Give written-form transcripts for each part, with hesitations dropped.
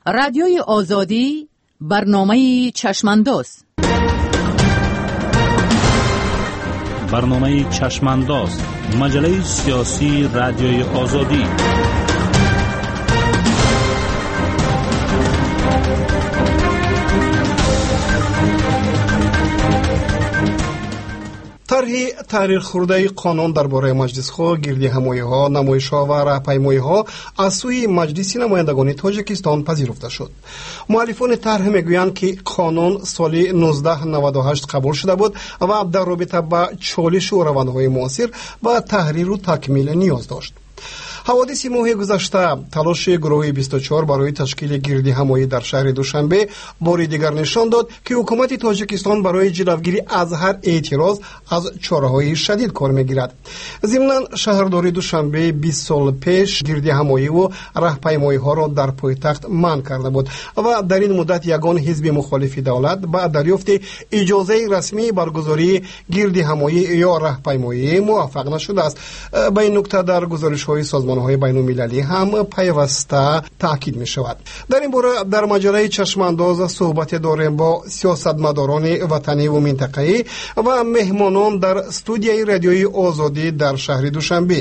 Радиои Озодӣ, барномаи Чашмандоз. Барномаи Чашмандоз, маҷаллаи сиёсии Радиои Озодӣ. Тарҳи таҳрирхӯрдаи қонун дар бораи маҷлисҳо, гирдиҳамоиҳо, намоишҳо ва раҳпаймоиҳо аз сӯи Маҷлиси намояндагони Тоҷикистон пазируфта шуд. Муаллифони тарҳ мегӯянд, ки қонун соли 1998 қабул шуда буд ва дар робита ба чолишу равандҳои муосир ба таҳриру такмил ниёз дошт. Ҳаводиси моҳи гузашта, талоши гурӯҳи 24 барои ташкили гирдиҳамоӣ дар шаҳри Душанбе бори дигар нишон дод, ки ҳукумати Тоҷикистон барои ҷилавгирӣ аз ҳар эътироз аз чораҳои шадид кор мегирад. Зимнан, шаҳрдории Душанбе 20 сол пеш гирдиҳамоиву раҳпаймоиҳоро дар пойтахт манъ карда буд ва дар ин муддат ягон ҳизби мухолифи давлат ба дарёфти иҷозаи расмии баргузории гирдиҳамоӣ ё раҳпаймоӣ муваффақ нашудааст. Ба ин нукта дар гузоришҳои созмонҳои байнулмилалӣ ҳам пайваста таъкид мешавад. Дар ин бора дар маҷаллаи Чашмандоз суҳбате дорем бо сиёсатмадорони ватаниву минтақаӣ ва меҳмонон дар студияи Радиои Озодӣ дар шаҳри Душанбе: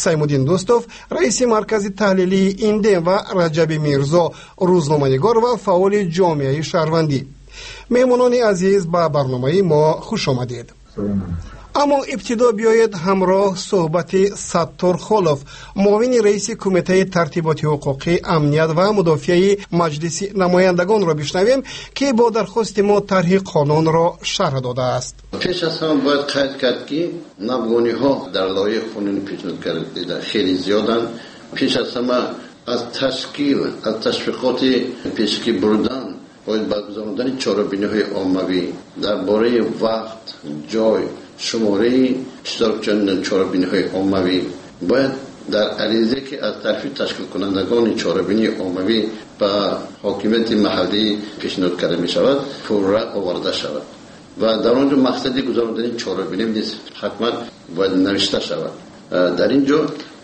Саймуддин Дӯстов, раиси маркази таҳлилии Индем, ва Раҷаби Мирзо, рӯзноманигор ва фаъоли ҷомеаи шаҳрвандӣ. Меҳмонони азиз, ба барномаи мо хуш омадед. Аммо ибтидо биёед ҳамроҳ суҳбати Саттор Холов, муовини раиси Кумитаи тартиботи ҳуқуқӣ, амният ва мудофиаи Маҷлиси намояндагонро бишнавем, ки бо дархости мо тарҳи қонунро шарҳ додааст. Пеш аз ҳама бояд қайд кард, ки навгониҳо дар лоиҳаи қонуни пешниҳод кардида хеле зиёданд. Пеш аз ҳама аз ташкил, аз ташвиқоти пешакӣ бурдан бояд баргузондани чорабиниҳои оммавӣ дар бораи вақт, ҷой, шумораи иштирокчиёни чорабиниҳои оммавӣ бояд дар аризае, ки аз тарафи ташкилкунандагони чорабинии оммавӣ ба ҳокимияти маҳаллӣ пешниҳод карда мешавад, пурра оварда шавад ва дар он ҷо мақсади гузарондани чорабинӣ низ ҳатман бояд навишта шавад. Дар ин ҷо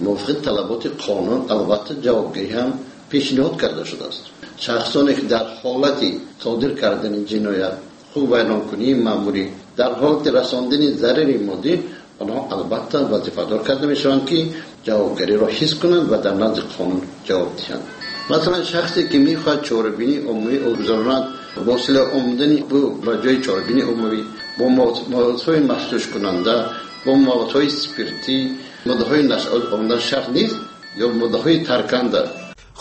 мувофиқи талаботи қонун албатта ҷавобгирӣ ҳам пешниҳод карда шудааст. Шахсоне ки дар ҳолати содир кардани ҷиноят, ҳуқуқвайронкунии маъмурӣ, дар ҳолати расондани зарари моддӣ, онҳо албатта вазифадор карда мешаванд, ки ҷавобгариро ҳис кунанд ва дар назди қонун ҷавоб диҳанд. Масалан, шахсе ки мехоҳад чорабинии умумӣ гузаронад, бо силоҳ омадани ӯ ба ҷои чорабинии умумӣ бо маводҳои мафтушкунанда, бо маводҳои спиртӣ, моддаҳои нашъаовар омадан шарт нест ё моддаҳои тарканда.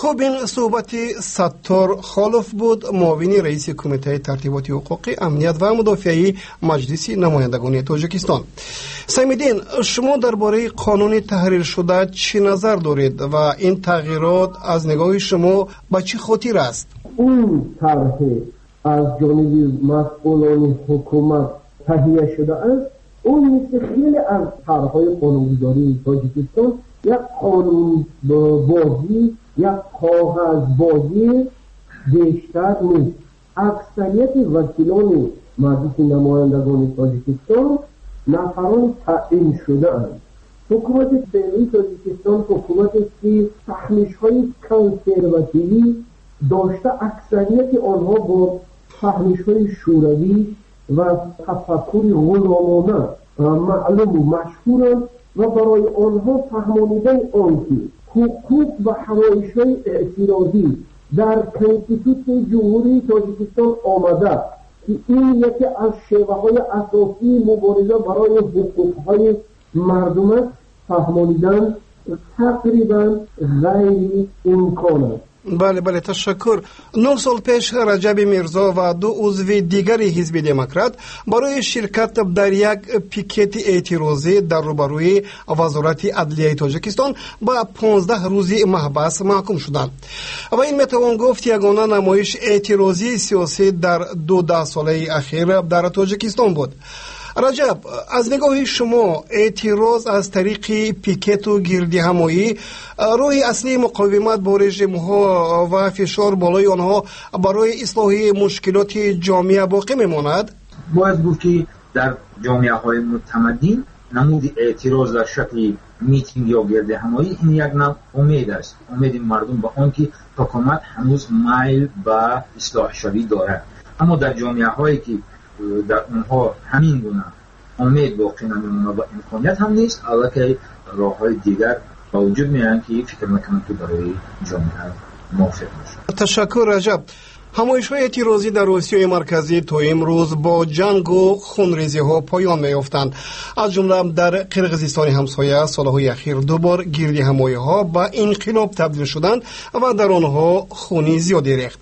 Хуб, ин суҳбати Саттор Холов буд, муовини раиси Кумитаи тартиботи ҳуқуқӣ, амният ва мудофиаи Маҷлиси намояндагони Тоҷикистон. Самиддин, шумо дар бораи қонуни таҳриршуда чӣ назар доред ва ин тағйирот аз нигоҳи шумо ба чӣ хотир аст? Ин тарҳе аз ҷониби масъулони ҳукумат таҳия шудааст, ӯ мисли хеле аз тарҳҳои қонунгузории Тоҷикистон як қонунбозӣ, як коғазбозӣ бештар нест. Аксарияти вакилони Маҷлиси намояндагони Тоҷикистон нафарони таъин шудаанд. Ҳукумати феълии Тоҷикистон ҳукуматест, ки фаҳмишҳои консервативӣ дошта, аксарияти онҳо бо фаҳмишҳои шӯравӣ ва тафаккури ғуломона маълуму машҳуранд ва барои онҳо фаҳмонидани он ки ҳуқуқ ва ҳамоишҳои эътирозӣ дар Конститутсияи Ҷумҳурии Тоҷикистон омада, ки ин яке аз шеваҳои асосии мубориза барои ҳуқуқҳои мардум аст, фаҳмонидан тақрибан ғайриимкон аст. Бале, бале, ташаккур. 9 сол пеш Раҷаби Мирзо ва ду узви дигари Ҳизби Демократ барои ширкат дар як пикети эътирозӣ дар рӯбарӯи Вазорати адлияи Тоҷикистон ба 15 рӯзи маҳбас маҳкум шуданд. Ва ин метавон гуфт ягона намоиш эътирозии сиёсӣ дар ду даҳсолаи ахир дар Тоҷикистон буд. Раҷаб, аз нигоҳи шумо эътироз аз тариқи пикету гирдиҳамоӣ роҳи аслии муқовимат бо режимҳо ва фишор болои онҳо барои ислоҳи мушкилоти ҷомеа боқӣ мемонад? Бояд гуфт, ки дар ҷомеаҳои мутамаддин Намуди эътироз дар шакли митинг ё гирдиҳамоӣ ин як навъ умед аст, умеди мардум ба он ки ҳукумат ҳанӯз майл ба ислоҳшавӣ дорад. Аммо дар ҷомеаҳое ки дар онҳо ҳамин гуна умед боқӣ намемонад ва имконият ҳам нест, аллакай роҳҳои дигар ба вуҷуд меоянд ки фикр мекунам ки барои ҷомеа мувофиқ бошад. Ташаккур, Раҷаб. Ҳамоишҳои эътирозӣ дар Осиёи Марказӣ то имрӯз бо ҷангу хунрезиҳо поён меёфтанд. Аз ҷумла дар Қирғизистони ҳамсоя солҳои ахир ду бор гирдиҳамоиҳо ба инқилоб табдил шуданд ва дар онҳо хуни зиёде рехт.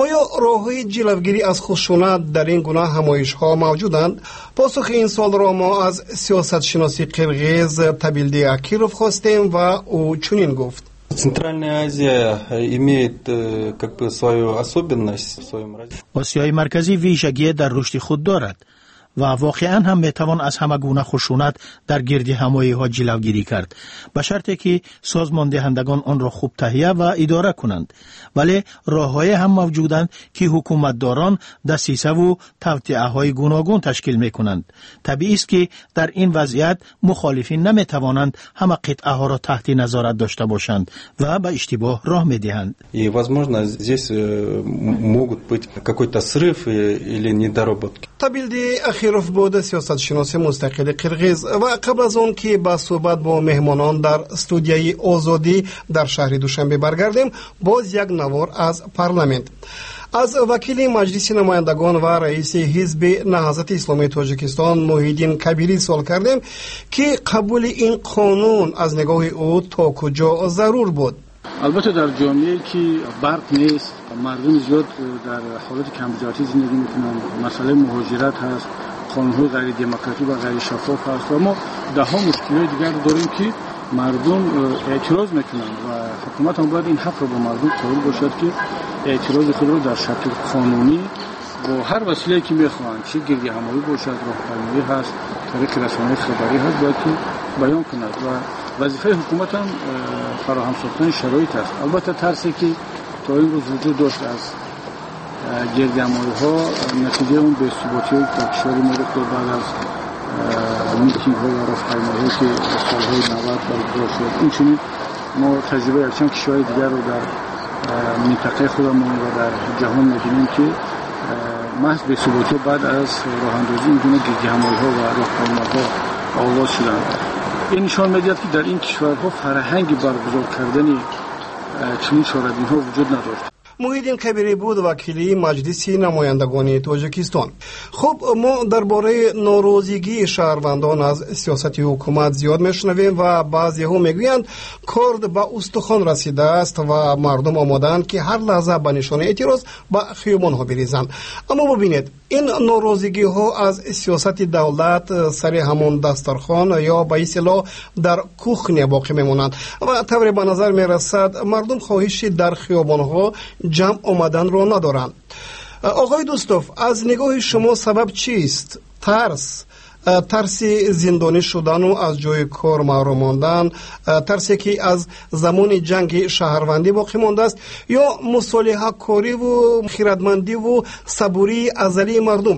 Оё роҳҳои ҷилавгирӣ аз хушунат дар ин гуна ҳамоишҳо мавҷуданд? Посухи ин суолро мо аз сиёсатшиноси қирғиз Табилди Акиров хостем ва ӯ чунин гуфт. Центральная Азия имеет как бы свою особенность в своем развитии. Осиёи Марказӣ вижагие дар рушди худ дорад ва воқеан ҳам метавон аз ҳама гуна хушунат дар гирдиҳамоиҳо ҷилавгирӣ кард, ба шарте ки созмондиҳандагон онро хуб таҳия ва идора кунанд. Вале роҳҳое ҳам мавҷуданд, ки ҳукуматдорон дасисаву тавтиаҳои гуногун ташкил мекунанд. Табиист, ки дар ин вазъият мухолифин наметавонанд ҳама қитъаҳоро таҳти назорат дошта бошанд ва ба иштибоҳ роҳ медиҳанд. И, возможно, здесь могут быть какой-то срыв или недоработки. Табилди Ахиров буд, сиёсатшиноси мустақили қирғиз. Ва қабл аз он ки ба суҳбат бо меҳмонон дар студияи Озодӣ дар шаҳри Душанбе баргардем, боз як навор аз парламент. Аз вакили Маҷлиси намояндагон ва раиси Ҳизби Наҳзати Исломии Тоҷикистон Муҳиддин Кабирӣ суол кардем, ки қабули ин қонун аз нигоҳи ӯ то куҷо зарур буд. Албатта, дар ҷомеае ки барқ нест, мардуми зиёд дар ҳолати камбизоатӣ зиндагӣ мекунанд, масъалаи муҳоҷират ҳаст, қонунҳои ғайридемократӣ ва ғайришаффоф ҳаст ва мо даҳҳо мушкилиҳои дигар дорем, ки мардум эътироз мекунанд ва ҳукумат ҳам бояд ин ҳақро ба мардум қоил бошад, ки эътирози худро дар шакли қонунӣ бо ҳар василае ки мехоҳанд, чӣ гирдиҳамоӣ бошад, роҳпаймоӣ ҳаст, тариқи расонаҳои хабарӣ ҳаст, бояд ки баён кунад ва вазифаи ҳукумат ҳам фароҳам сохтани шароит аст. Албатта, тарсе ки то имрӯз вуҷуд дошт аз гирдиҳамоиҳо, натиҷаи он бесуботиҳое ки дар кишвари мо рух дод баъд аз митингҳо ва роҳпаймоиҳое ки солҳои 90 баргузор шуд, инчунин мо таҷрибаи якчанд кишвари дигарро дар минтақаи худамон ва дар ҷаҳон мебинем, ки маҳз бесуботиҳо баъд аз роҳандозии ин гуна гирдиҳамоиҳо ва роҳпаймоҳо оғоз шуданд. Ин нишон медиҳад, ки дар ин кишварҳо фарҳанги баргузор кардани чунин чорабиниҳо вуҷуд надошт. Муҳиддин Кабирӣ буд, вакили Маҷлиси намояндагони Тоҷикистон. Хуб, мо дар бораи норозигии шаҳрвандон аз сиёсати ҳукумат зиёд мешунавем ва баъзеҳо мегӯянд, корд ба устухон расидааст ва мардум омодаанд, ки ҳар лаҳза ба нишонаи эътироз ба хиёбонҳо бирезанд. Аммо бубинед, ин норозигиҳо аз сиёсати давлат сари ҳамон дастархон ё ба истилоҳ дар кухня боқӣ мемонанд ва тавре ба назар мерасад, мардум хоҳиши дар хиёбонҳо ҷамъ омаданро надоранд. Оғои Дӯстов, аз нигоҳи шумо сабаб чист? Тарс, тарси зиндонӣ шудану аз ҷои кор маҳрум мондан, тарсе ки аз замони ҷанги шаҳрвандӣ боқӣ мондааст, ё мусолиҳакориву хирадмандиву сабурии азалии мардум,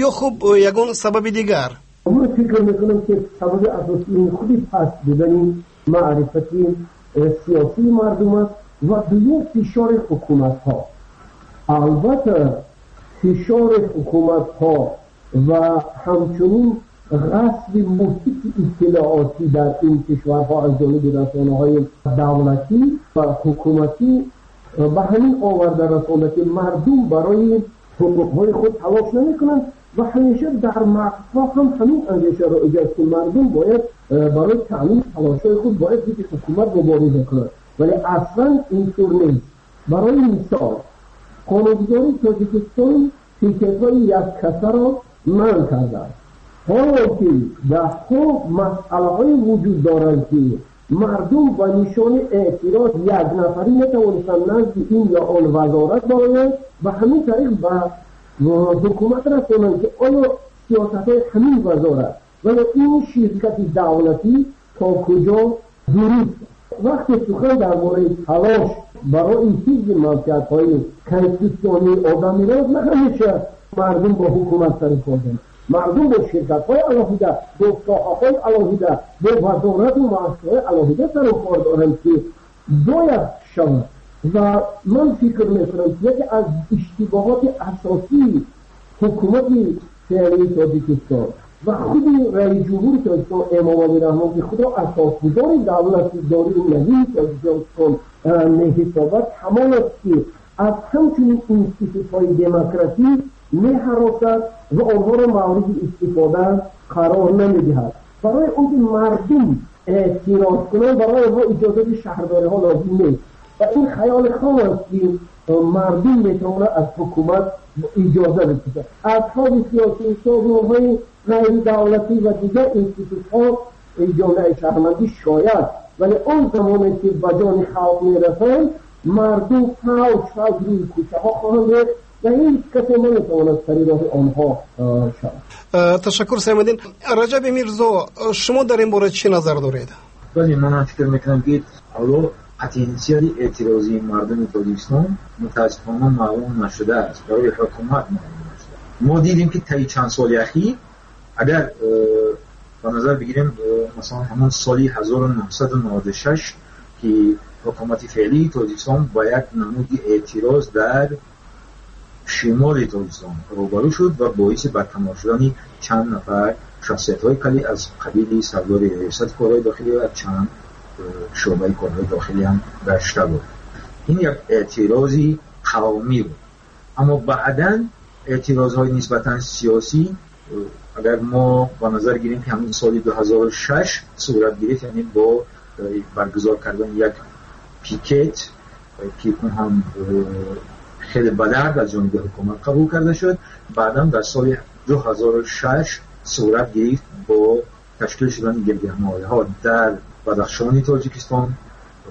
ё хуб ягон сабаби дигар? Ман фикр мекунам, ки сабаби асосии худи паст будани маърифати сиёсии мардум аст ва дуюм фишори ҳукуматҳо. Албатта, фишори ҳукуматҳо ва ҳамчунин ғасби муҳити иттилоотӣ дар ин кишварҳо аз ҷониби расонаҳои давлатӣ ва ҳукуматӣ ба ҳамин оварда расонда, ки мардум барои ҳуқуқҳои худ талош намекунанд ва ҳамеша дар мағзҳо ҳам ҳамин андеша роиҷ аст, ки мардум бояд барои таъмини талошҳои худ бояд зидди ҳукумат мубориза кунад. Вале аслан интур нест. Барои мисол, қонунгузории Тоҷикистон пикетҳои яккасаро манъ кардааст, ҳоло ки даҳҳо масъалаҳое вуҷуд доранд, ки мардум ба нишони эътироз якнафарӣ метавонистанд назди ин ё он вазорат бароянд ва ҳамин тариқ ба ҳукумат расонанд, ки оё сиёсатҳои ҳамин вазорат ва ё ин ширкати давлатӣ то куҷо дуруст. Вақте сухан дар бораи талош барои ҳифзи манфиатҳои конститутсионии одамиро, на ҳамеша мардум бо ҳукумат сари кор доранд. Мардум бо ширкатҳои алоҳида, бо соҳаҳои алоҳида, бо вазорату муассисаҳои алоҳида сару кор доранд, ки бояд шавад. Ва ман фикр мекунам, ки яке аз иштибоҳоти асосии ҳукумати феълии Тоҷикистон ва худи раиси ҷумҳури Тоҷикистон Эмомалӣ Раҳмон, ки худро асосгузори давлати дории навии Тоҷикистон меҳисобад, ҳамон аст, ки аз ҳамчунин институтҳои демократӣ меҳаросад ва онҳоро мавриди истифода қарор намедиҳад. Барои он ки мардум эътироз кунанд, барои онҳо иҷозати шаҳрдориҳо лозим нест. Ва ин хаёли хом аст, ки мардум метавонад аз ҳукумат иҷоза бипурсад. Асҳоби сиёсӣ, созмонҳои ғайридавлатӣ ва дигар институтҳо, ҷомеаи шаҳрвандӣ шояд, вале он замоне ки ба ҷони халқ мерасанд, мардум фавҷ фавҷ рӯи кӯчаҳо хоҳанд рехт ва ҳеҷ касе наметавонад сари роҳи онҳо шавад. Ташаккур, Саймуддин. Раҷаби Мирзо, шумо дар ин бора чӣ назар доред? Бале, ман фикр мекунам, ки ҳоло потенсиали эътирозии мардуми Тоҷикистон мутаассифона маълум нашудааст, барои ҳукумат маълум нашуда. Мо дидем, ки таи чанд соли ахир, агар ба назар бигирем, масалан, ҳамон соли 1996, ки ҳукумати феълии Тоҷикистон ба як намуди эътироз дар шимоли Тоҷикистон рӯбарӯ шуд ва боиси барканор шудани чанд нафар шахсиятҳои калӣ аз қабили сардори риёсати корҳои дохилӣ ва чанд шӯъбаи корҳои дохилӣ ҳам гашта буд. Ин як эътирози қавмӣ буд. Аммо баъдан эътирозҳои нисбатан сиёсӣ, агар мо ба назар гирем, ки ҳамин соли 2006 сурат гирифт, яъне бо баргузор кардани як пикет, ки он ҳам хеле бадард аз ҷониби ҳукумат қабул карда шуд, баъдан дар соли 2006 сурат гирифт бо ташкил шудани гирдиҳамоиҳо дар Бадахшони Тоҷикистон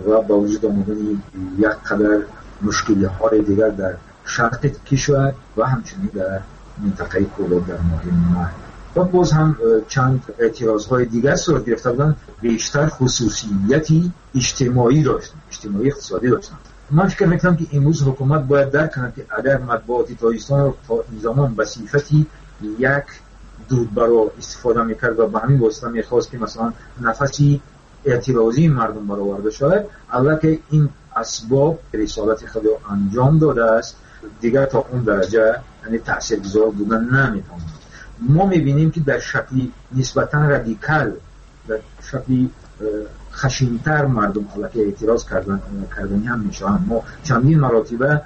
ва ба вуҷуд омадани як қадар мушкилиҳои дигар дар шарқи кишвар ва ҳамчунин дар минтақаи Кӯлоб дар моҳи май. Ва боз ҳам чанд эътирозҳои дигар сурат гирифта буданд, бештар хусусияти иҷтимоӣ доштанд, иҷтимоӣ иқтисодӣ доштанд. Ман фикр мекунам, ки имрӯз ҳукумат бояд дарк кунад, ки агар матбуоти Тоҷикистонро то ин замон ба сифати як дудбаро истифода мекард ва ба ҳамин восита мехост, ки масалан нафаси эътирозии мардум бароварда шавад, аллакай ин асбоб рисолати худро анҷом додааст, дигар то он дараҷа, яъне таъсиргузор будан наметавонад. Мо мебинем, ки дар шакли нисбатан радикал, дар шакли хашинтар мардум аллакай эътироз кардани ҳам мешаванд. Мо чандин маротиба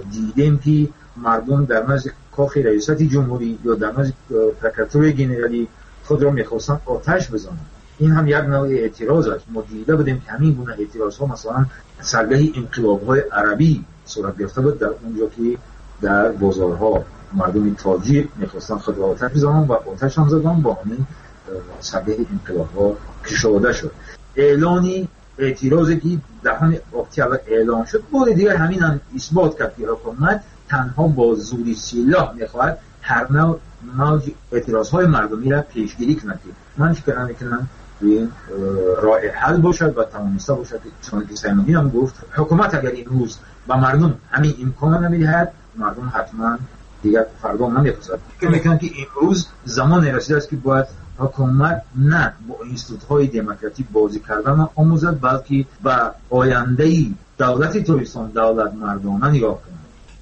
дидем, ки мардум дар назди кохи раёсати ҷумҳурӣ ё дар назди прокуратураи генералӣ худро мехостанд оташ бизананд. Ин ҳам як навъи эътироз аст. Мо дида будем, ки ҳамин гуна эътирозҳо масалан саргаҳи инқилобҳои арабӣ сурат гирифта буд, дар онҷо ки дар бозорҳо мардуми тоҷик мехостанд худро оташ бизананд ва оташ ҳам заданд, бо ҳамин саргаҳи инқилобҳо кушода шуд. Эълони эътирозе ки 10 октябр эълон шуд, бори дигар ҳамин ҳам исбот кард, ки ҳукумат танҳо бо зури силоҳ мехоҳад ҳар навъ мавҷи эътирозҳои мардумиро пешгирӣ кунад, ки ман фикр намекунам ин роҳи ҳал бошад ва тавониста бошад, чунон ки Саймуддин ҳам гуфт, ҳукумат агар имрӯз ба мардум ҳамин имконро намедиҳад, мардум ҳатман дигар фардо намепурсад. Фикр мекунам, ки имрӯз замоне расидааст, ки бояд ҳукумат на бо институтҳои демократӣ бозӣ кардан омӯзад, балки ба ояндаи давлати Тоҷикистон давлатмардона нигоҳ кунад.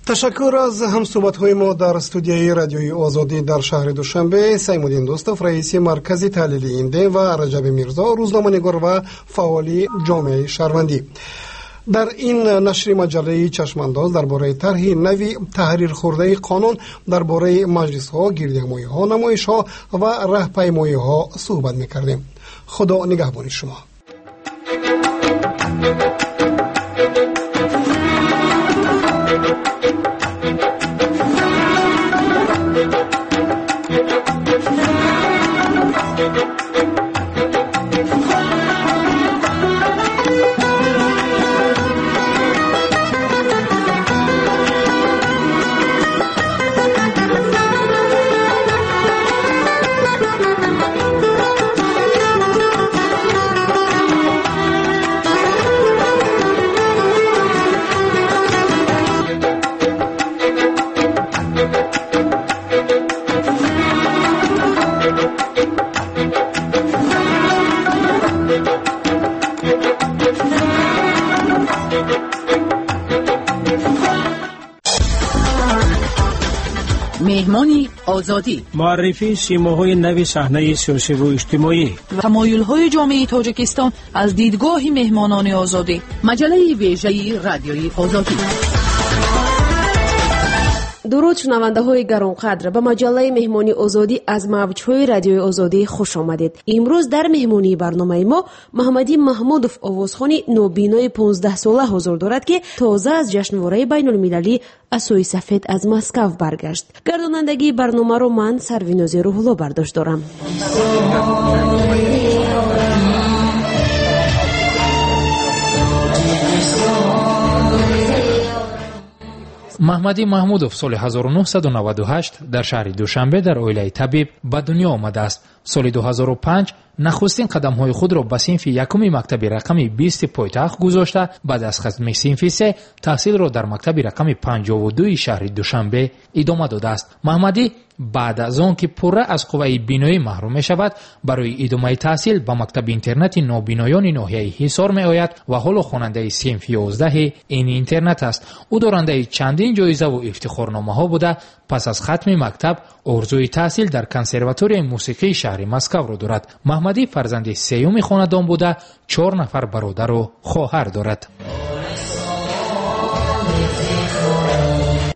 Ташаккур аз ҳамсӯҳбатҳои мо дар студияи Радиои Озодӣ дар шаҳри Душанбе Саймуддин Дӯстов, раиси маркази таҳлили Индем, ва Раҷаби Мирзо, рӯзноманигор ва фаъоли ҷомеаи шаҳрвандӣ. Дар ин нашри маҷаллаи Чашмандоз дар бораи тарҳи нави таҳрирхӯрдаи қонун дар бораи маҷлисҳо, гирдиҳамоиҳо, намоишҳо ва раҳпаймоиҳо суҳбат мекардем. Худо нигаҳбони шумо. Меҳмони Озодӣ. Муаррифии симоҳои нави саҳнаи сиёсиву иҷтимоӣ. Тамоюлҳои ҷомеаи Тоҷикистон аз дидгоҳи меҳмонони Озодӣ. Маҷаллаи вежаи Радиои Озодӣ. Дуруд, шунавандаҳои гаронқадр, ба маҷаллаи Меҳмони Озодӣ аз мавҷҳои Радиои Озодӣ хуш омадед. Имрӯз дар меҳмонии барномаи мо Маҳмадӣ Маҳмудов, овозхони нобинои 15-сола ҳузур дорад, ки тоза аз ҷашнвораи байнулмилалӣ Асои сафед аз Москав баргашт. Гардонандагии барномаро ман, Сарвинози Рӯҳулло, бардошт дорам. Маҳмадӣ Маҳмудов соли 1998 дар шаҳри Душанбе дар оилаи табиб ба дунё омадааст. Соли 2005 нахустин қадамҳои худро ба синфи якуми мактаби рақами 20 пойтахт гузошта, баъд аз хатми синфи се таҳсилро дар мактаби рақами 52 шаҳри Душанбе идома додааст. Маҳмадӣ баъд аз он ки пурра аз қувваи биноӣ маҳрум мешавад, барои идомаи таҳсил ба мактаби интернати нобиноёни ноҳияи Ҳисор меояд ва ҳоло хонандаи синфи 11 ин интернат аст. Ӯ дорандаи чандин ҷоизаву ифтихорномаҳо буда, пас аз хатми мактаб орзуи таҳсил дар консерваторияи мусиқии шаҳри Москавро дорад. Маҳмадӣ фарзанди сеюми хонадон буда, 4 нафар бародару хоҳар дорад.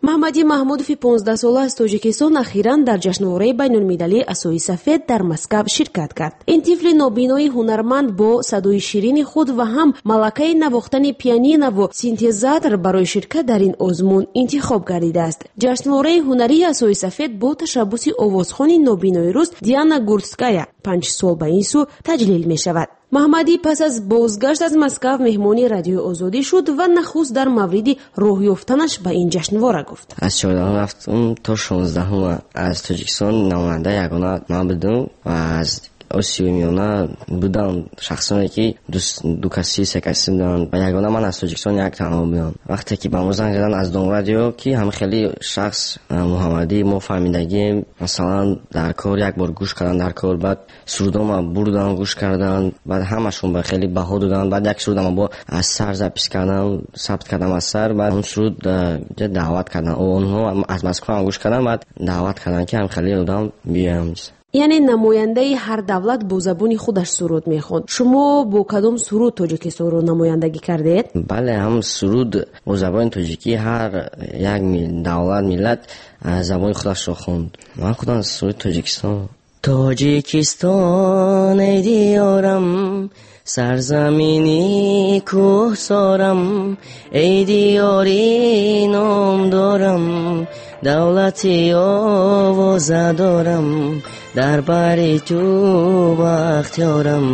Маҳмадӣ Маҳмудови 15-сола аз Тоҷикистон ахиран дар ҷашнвораи байнулмилалии Асои сафед дар Москав ширкат кард. Ин тифли нобинои ҳунарманд бо садои ширини худ ва ҳам малакаи навохтани пианинову синтезатор барои ширкат дар ин озмун интихоб гардидааст. Ҷашнвораи ҳунарии Асои сафед бо ташаббуси овозхони нобинои рус Диана Гурцкая 5 сол ба ин сӯ таҷлил мешавад. Маҳмадӣ пас аз бозгашт аз Москав меҳмони Радиои Озодӣ шуд ва нахуст дар мавриди роҳ ёфтанаш ба ин ҷашнвора гуфт. Аз 14 рафтум то 16 аз Тоҷикистон намоянда ягона ман будум ва аз Осиёи Миёна будам шахсоне ки ду каси, се каси буданд ва ягона ман аз Тоҷикистон як танҳо будам. Вақте ки ба мо занг заданд аз Дом радио, ки ҳам хеле шахс Муҳаммадӣ мо фаҳмидагием, масалан дар кор як бор гӯш кардан дар кор, баъд сурудома бурдан гӯш кардан, баъд ҳамашон ба хеле баҳо доданд, баъд як сурудама бо аз сар запис кардам, сабт кардам аз сар, баъд он суруд даъват карданд. Онҳо аз Москва ҳам гӯш карданд, баъд даъват карданд, ки ҳам хеле одам биёям. Яъне намояндаи ҳар давлат бо забони худаш суруд мехонд. Шумо бо кадом суруд Тоҷикистонро намояндагӣ кардед? Бале, ҳам суруд бо забони тоҷикӣ ҳар як давлат, миллат забони худашро хонд. Ман худам суруди Тоҷикистон. Тоҷикистон, эй диёрам, сарзамини кӯҳсорам, эй диёри номдорам, давлати овоза дорам, дар бари ту бахтиёрам,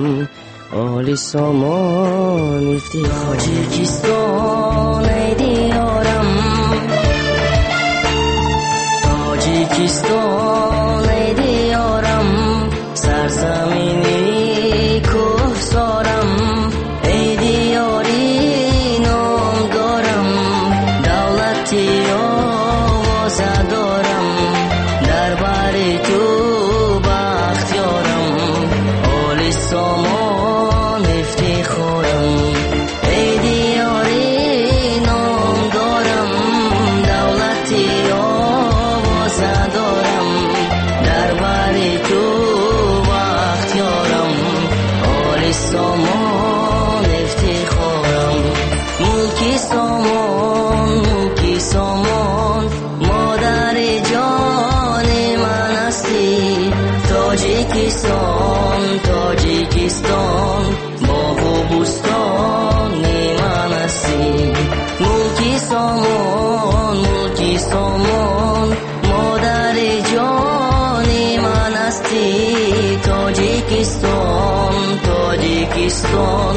оли сомон ифтихорам. Тоҷикистон, эй диёрам, Тоҷикистон, эй диёрам, сарзамини кӯҳсорам, эй диёри номдорам, давлати овоза дорам, дар бари ту бахтиёрам, оли сомон ифтихорам. Эй диёри номдорам, давлати овоза дорам, дар бари ту бахтиёрам, оли сомон ифтихорам. Мулки сомон, мулки сомон, модари ҷони ман ҳастӣ. Тоҷикистон, Тоҷикистон, боғу бӯстони ман ҳастӣ. Мулки сомон, мулки сомон, модари ҷони ман ҳастӣ. Тоҷикистон, Тоҷикистон,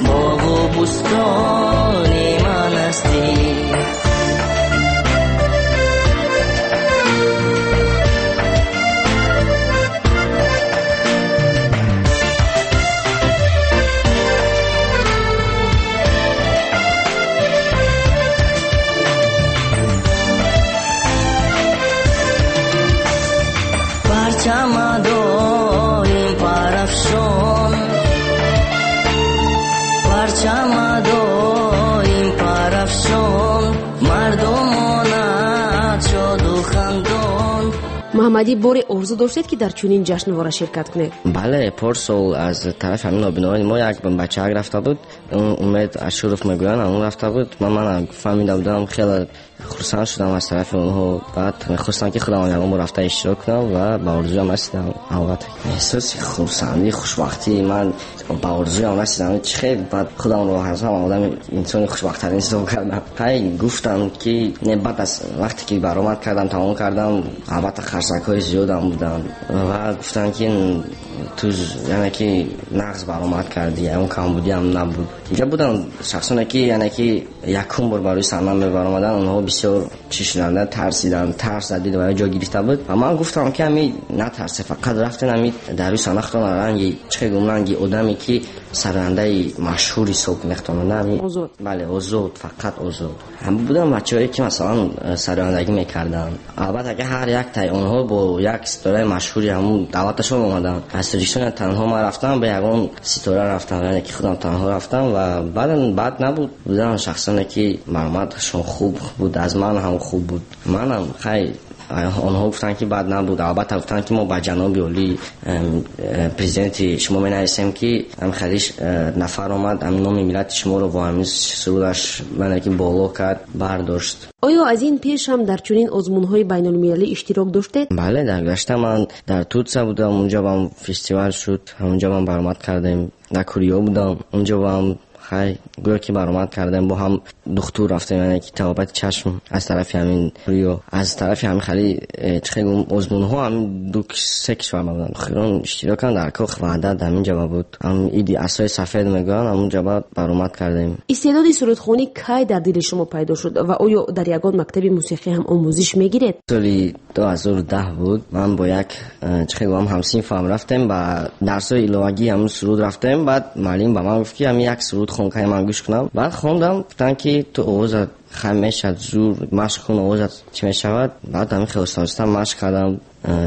боғу бӯстони ман ҳастӣ. Парчамадорим парафшон, парчамадорим Муҳаммадӣ, боре орзу доштед, ки дар чунин ҷашнвора ширкат кунед? Бале, порсол аз тарафи ҳамин нобинои мо як бачаак рафта буд, Умед Ашуров мегӯянд, он рафта буд. Ман фаҳмида будам, хеле хурсанд шудам аз тарафи онҳо. Баъд мехостам, ки худам ягон бор рафта иштирок кунам ва ба орзуям расидам. Албатта, эҳсоси хурсандӣ, хушбахтии ман ба орзуям расидам. Чӣ хел баъд худамро ҳастам одами инсони хушбахттарин ҳисоб кардам. Ҳай, гуфтам, ки не, баъд аз вақте ки баромад кардам, тамом кардам, албатта қарсакҳои зиёдам буданд ва гуфтанд, ки ту яъне ки нағз баромад кардӣ, ягон камбудиам набуд. Инҷа буданд шахсоне, ки яъне ки якум бор барои саҳна мебаромаданд, онҳо бисёр чӣ шуданд, тарсиданд, тарс дар дили вай ҷо гирифта буд. Ва ман гуфтам, ки ҳами натарсе, фақат рафтен ҳами дар рӯи саҳна худтон ранги чӣ гум, ранги одаме, ки сарояндаи машҳур ҳисоб мехтонанд. Озод. Бале, озод, фақат озод. Ҳам буданд бачаҳое, ки масалан сарояндагӣ мекарданд. Албатта, ки ҳар яктаи онҳо бо як ситораи машҳури ҳамун давлаташон омаданд. Аз Тоҷикистон танҳо ман рафтам, ба ягон ситора рафтам, яъне ки худам танҳо рафтам ва баъдан бад набуд. Буданд шахсоне, ки баромадашон хуб буд, аз ман ҳам хуб буд. Манам хай, онҳо гуфтанд, ки бад набуд. Албатта, гуфтанд, ки мо ба ҷаноби олӣ президенти шумо менависем, ки ҳам хеле нафар омад, ҳам номи миллати шуморо бо ҳамин сурудаш яъне ки боло кард, бардошт. Оё аз ин пеш ҳам дар чунин озмунҳои байналмилалӣ иштирок доштед? Бале, дар гузашта ман дар Турсия будам, унҷо бам фестивал шуд, ҳамунҷо ман баромад кардем. Дар Корея будам, унҷо бам хай гӯё ки баромад кардем, бо ҳам духтур рафтем, яъне ки табобати чашм аз тарафи ҳамин Рио, аз тарафи ҳамин хеле чӣ хел озмунҳо ҳамин ду се кишвар буданд. Охирон иштирок кардам дар Кохи Ваҳдат, ҳамин ҷоба буд. Ҳам иди асои сафед мегӯянд, ҳамун ҷоба баромад кардем. Истеъдоди сурудхонӣ кай дар дили шумо пайдо шуд ва оё дар ягон мактаби мусиқӣ ҳам омӯзиш мегиред? Соли 2010 буд, ман бо як чӣ хел гӯям ҳамсинфам рафтем ба дарсҳои иловагӣ, ҳамун суруд рафтем. Баъд муаллим ба ман гуфт, ки ҳамин як суруд хон, кай ман гӯш кунам. Баъд хондам, гуфтанд, ки ту овозат хам мешавад, зур машқ кун, овозат чӣ мешавад. Баъд ҳамин хел оста-оста машқ кардам.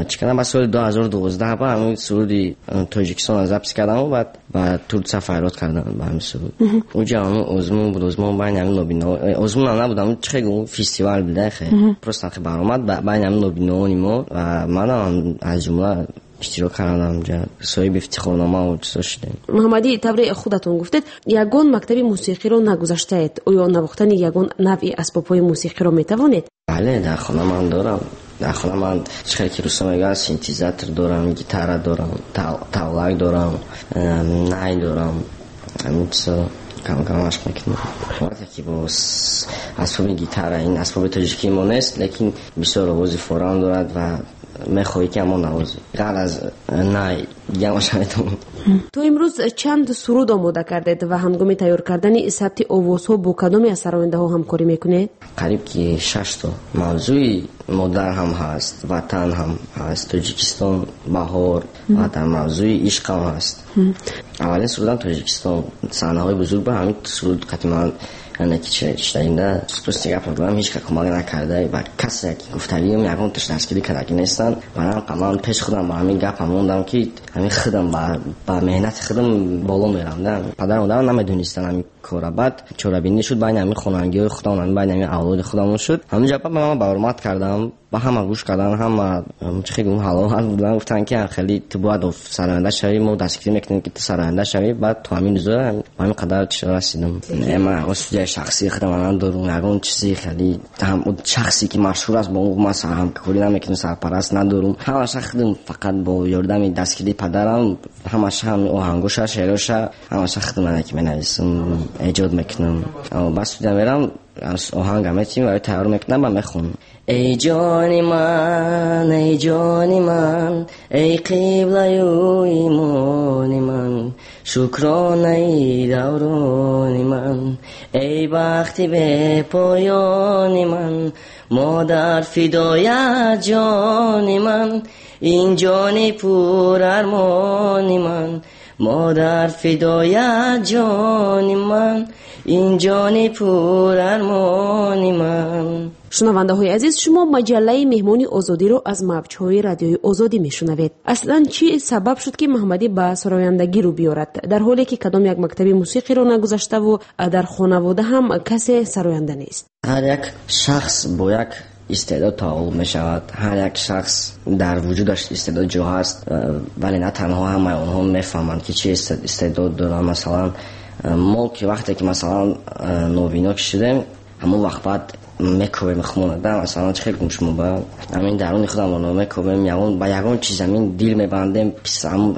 Чӣ кардам, баъд соли 2012 ба ҳамин суруди Тоҷикистонро запис кардаму баъд ба Турсия фарёд кардам ба ҳамин суруд. Уҷа ҳамун озмун буд, озмун байни ҳамин нобиноҳо, озмунам набуд, ҳамун чӣ хел гӯм, фестивал буда, хе. Просто хе баромад байни ҳамин нобиноҳони мо ва манам аз ҷумла иштирок кардам, онҷа соҳиби ифтихорнома ва чизо шудем. Муҳаммадӣ, тавре худатон гуфтед, ягон мактаби мусиқиро нагузаштаед. Оё навохтани ягон навъи асбобҳои мусиқиро метавонед? Бале, дар хона ман дорам. Дар хона ман чӣ хел ки русо мегӯянд, синтезатор дорам, гитара дорам, тавлак дорам, най дорам. Ҳамин чизо кам-кам машқ мекунам. Албатта, ки бо асбоби гитара, ин асбоби тоҷикии мо нест, лекин бисёр овози форам дорад ва мехоҳӣ, ки ҳамон навозӣ. Ғайр аз най дигаамаша метавонам. То имрӯз чанд суруд омода кардед ва ҳангоми тайёр кардани сабти овозҳо бо кадоме аз сарояндаҳо ҳамкорӣ мекунед? Қариб ки 6 то. Мавзӯи модар ҳам ҳаст, ватан ҳам ҳаст, Тоҷикистон, баҳор ва дар мавзӯи ишқ ҳам ҳаст. Аввалин сурудам Тоҷикистон, саҳнаҳои бузург ба ҳамин суруд қати ман яъне ки чиштаинда рости гап мегӯям, ҳеҷ кас кӯмак накарда ва касе ки гуфтагиам ягон таш дастгирӣ кардагӣ нестанд. Манам ман пеш худам ба ҳамин гапам мондам, ки ҳамин худам ба меҳнати худам боло мерам. Падару модарам намедонистанд ҳамин кора. Баъд чорабинӣ шуд байни ҳамин хонандагиҳои худам, ҳамин байни ҳамин авлоди худамон шуд. Ҳамин ҷо ман баромад кардам, ба ҳама гӯш кардан, ҳама чӣ хел гӯм ҳаловат будан, гуфтанд, ки хеле ту бояд сароянда шавӣ, мо дастгирӣ мекунем, ки ту сароянда шавӣ. Баъд то ҳамин рӯза ба ҳамин қадар чӣ расидам. Ман ягон студияи шахсии худам надорам, ягон чизи хеле ҳам шахсе ки машҳур аст, бо ӯ ман ҳамкорӣ намекунам, сарпараст надорам. Ҳамаша худам фақат бо ёрдами дастгирии падарам, ҳамаша ҳам оҳангоша, шеъроша, ҳамаша худам ана ки менависам, эҷод мекунам. Ба студия мерам, оҳанга метим ва тайёр мекунам ва мехонам. Эй ҷони ман, эй ҷони ман, эй қиблаю имони ман, шукронаи даврони ман, эй бахти бепоёни ман, модар фидоят ҷони ман, ин ҷони пурармони ман, модар фидоят ҷони ман, ин ҷони пурармони ман. Шунавандаҳои азиз, шумо маҷаллаи меҳмони озодиро аз мавҷҳои радиои Озодӣ мешунавед. Аслан чӣ сабаб шуд, ки Муҳаммадӣ ба сарояндагӣ рӯ биёрад, дар ҳоле ки кадом як мактаби мусиқиро нагузаштаву дар хонавода ҳам касе сароянда нест? Ҳар як шахс бо як Истеъдод таваллуд мешавад. Ҳар як шахс дар вуҷудаш истеъдод ҷо ҳаст, вале на танҳо ҳамаи онҳо мефаҳманд, ки чӣ истеъдод доранд. Масалан, мо ки вақте ки масалан нобино ки шудем, ҳамон вақт баъд мекобем худмонада, масалан чӣ хел гум шумо ба ҳамин даруни худамонро мекобем, ягон ба ягон чиз ҳамин дил мебандем,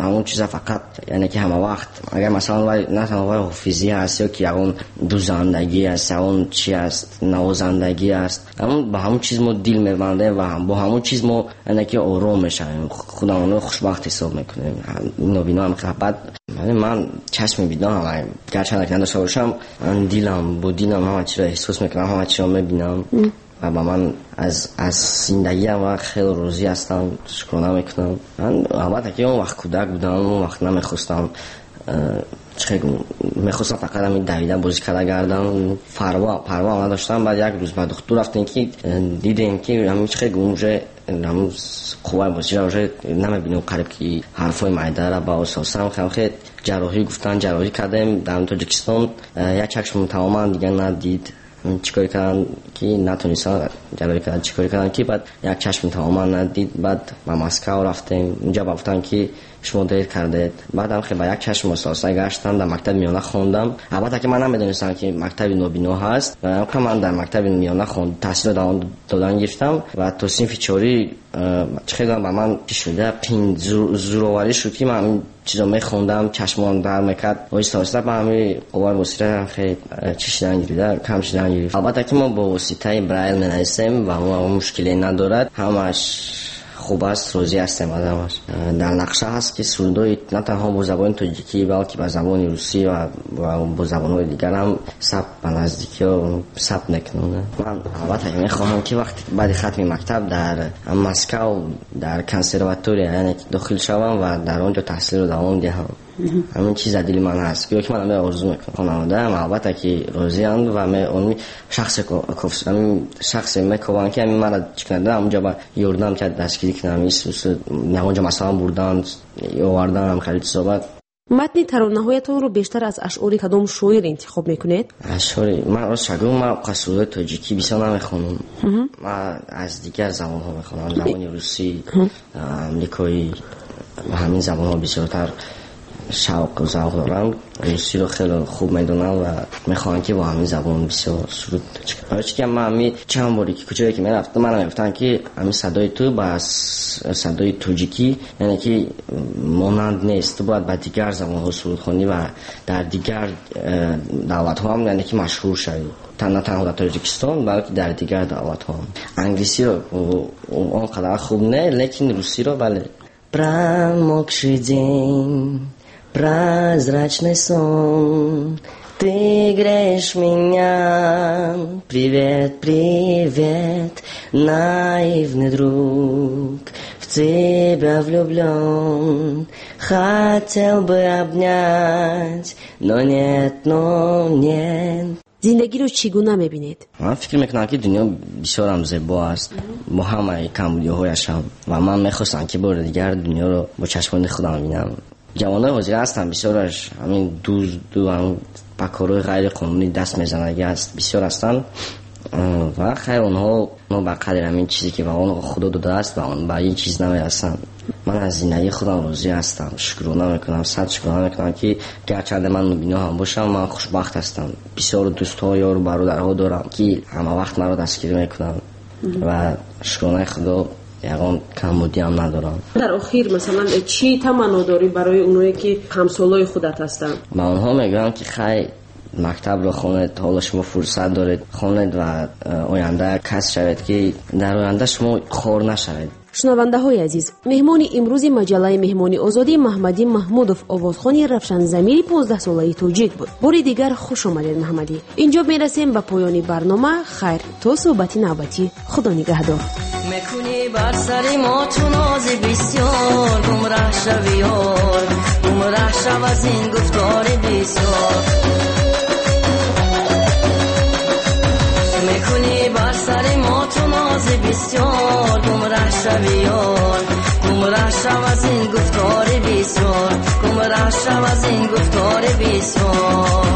ҳамон чиза фақат, яъне ки ҳама вақт агар масалан вай на танҳо вай ҳофизӣ ҳаст ё ки ягон дузандагӣ аст, ягон чи аст, навозандагӣ аст, ҳамон ба ҳамон чиз мо дил мебандем ва бо ҳамон чиз мо яъне ки ором мешавем, худамонро хушбахт ҳисоб мекунем. Нобино ҳам баъд ман чашми биноам, гарчанд ки надошта бошам, ман дилам бо дилам ҳама чиро эҳсос мекунам, ҳама чиро мебинам ва ба ман аз зиндагиам ва хеле розӣ ҳастам, шукрона мекунам. Ман албатта ки он вақт кӯдак будам, он вақт намехостам, мехостам фақат ҳамин давида бозӣ карда гардам, парво надоштам. Баъд як рӯз ба духтур рафтем, ки дидем ки ҳамин чӣ хел гум уже ҳамун қувваи бозиро уже намебинем, қариб ки ҳарфҳои майдара ба асосан хел ҷарроҳӣ гуфтан, ҷарроҳӣ кардем дар Тоҷикистон. Як чашм тамоман дигар надид, чӣ кор карданд ки натонистанд ҷарроҳӣ карданд, чӣ кор карданд ки баъд як чашм тамоман надид. Баъд ба Москав рафтем, унҷа ба гуфтанд ки шумо дер кардед. Баъдам хе ба як чашм ососа гаштам, дар мактаби миёна хондам. Албатта ки ман намедонистам ки мактаби нобино ҳаст, ва ман дар мактаби миёна таҳсилро давом додан гирифтам ва то синфи чорӣ чӣ хел ба ман чӣ шуда қин зӯроварӣ шуд ки ман ҳамин чизо мехондам, чашмон дард мекард. Оҳиста оҳиста ба ҳамин қувваи босира хеле чӣ шидан гирифта, кам шидан гирифт. Албатта ки мо бо воситаи Брайл менависем ва мушкиле надорад, ҳамаш хуб аст, розӣ ҳастем аз ҳамаш. Дар нақша ҳаст ки сурудҳои на танҳо бо забони тоҷикӣ, балки ба забони русӣ ва бо забонҳои дигар ҳам сабт ба наздикиҳо сабт мекунам. Ман албатта мехоҳам ки вақте баъди хатми мактаб дар Москав дар консерватория яъне дохил шавам ва дар он ҷо таҳсилро давом диҳам. Ҳамин чиз дар дили ман ҳаст, гӯё ки ман ҳамин орзу мекунам. Хонаводаам албатта ки розианд ва шахсе мекобанд ки ҳамин маро чӣ кунад, ҳамонҷо ба ёрдам кард, дастгирӣ кунад, ҳамонҷо масалан бурдан, овардан, хеле чизо. Баъд матни таронаҳоятонро бештар аз ашъори кадом шоир интихоб мекунед? Ашъори ман рост шагӯ, ман қасудаи тоҷикӣ бисёр намехонам, ман аз дигар забонҳо мехонам, забони русӣ, амрикоӣ, ба ҳамин забонҳо бисёртар шавқу завқ дорам. Русиро хеле хуб медонам ва мехоҳам ки бо ҳамин забон бисёр суруд. Барои чӣ ки ман ҳамин чанд боре ки куҷое ки мерафтам, ман мегуфтам ки ҳамин садои ту ба садои тоҷикӣ яъне ки монанд нест, ту бояд ба дигар забонҳо суруд хонӣ ва дар дигар давлатҳо ҳам яъне ки машҳур шавӣ, на танҳо дар Тоҷикистон, балки дар дигар давлатҳо. Англисиро он қадар хуб не, лекин русиро бале. Промокший день, прозрачный сон, ты греешь меня. Привет, привет, наивный друг, в тебя влюблен. Хотел бы обнять, но нет, но нет. Зиндагиро чӣ гуна мебинед? Ман фикр мекунам ки дунё бисёрам зебо аст бо ҳамаи камбудиҳояшам ва ман мехостам ки бори дигар дунёро бо чашмони худам бинам. Ҷавонои ҳозира ҳастанд бисёраш ҳамин дузду ба корҳои ғайриқонунӣ даст мезанагӣ аст, бисёр ҳастанд ва хайр онҳо ба қадри ҳамин чизе ки ба онҳо Худо додааст ба ин чиз намерасанд. Ман аз зиндагии худам розӣ ҳастам, шукрона мекунам, сад шукрона мекунам ки гарчанде ман нобино ҳам бошам, ман хушбахт ҳастам. Бисёр дӯстҳо, ёру бародарҳо дорам ки ҳама вақт маро дастгирӣ мекунанд ва шукронаи Худо ягон камбудиам надорам. Дар охир масалан чӣ таманно дорӣ барои оное ки ҳамсолои худат ҳастанд? Ба онҳо мегӯям ки хай мактабро хонед, ҳоло шумо фурсат доред, хонед ва оянда кас шавед ки дар оянда шумо хор нашавед. Шунавандаҳои азиз, меҳмони имрӯзи маҷаллаи Меҳмони Озодӣ Маҳмадӣ Маҳмудов, овозхони равшанзамири 15-солаи тоҷик буд. Бори дигар хуш омадед, Маҳмадӣ. Инҷо мерасем ба поёни барнома. Хайр, то суҳбати навбатӣ. Худо нигаҳдор. Мекунӣ бар сари мо чу нози бисёр, гумраҳ шави ёр, гумраҳ шав аз ин гуфтори бисёр. Мекунӣ бар сари мо чу нози бисёр, гумраҳ шави ёр, гумраҳ шав аз ин гуфтори бисёр, гумраҳ шав аз ин гуфтори бисёр.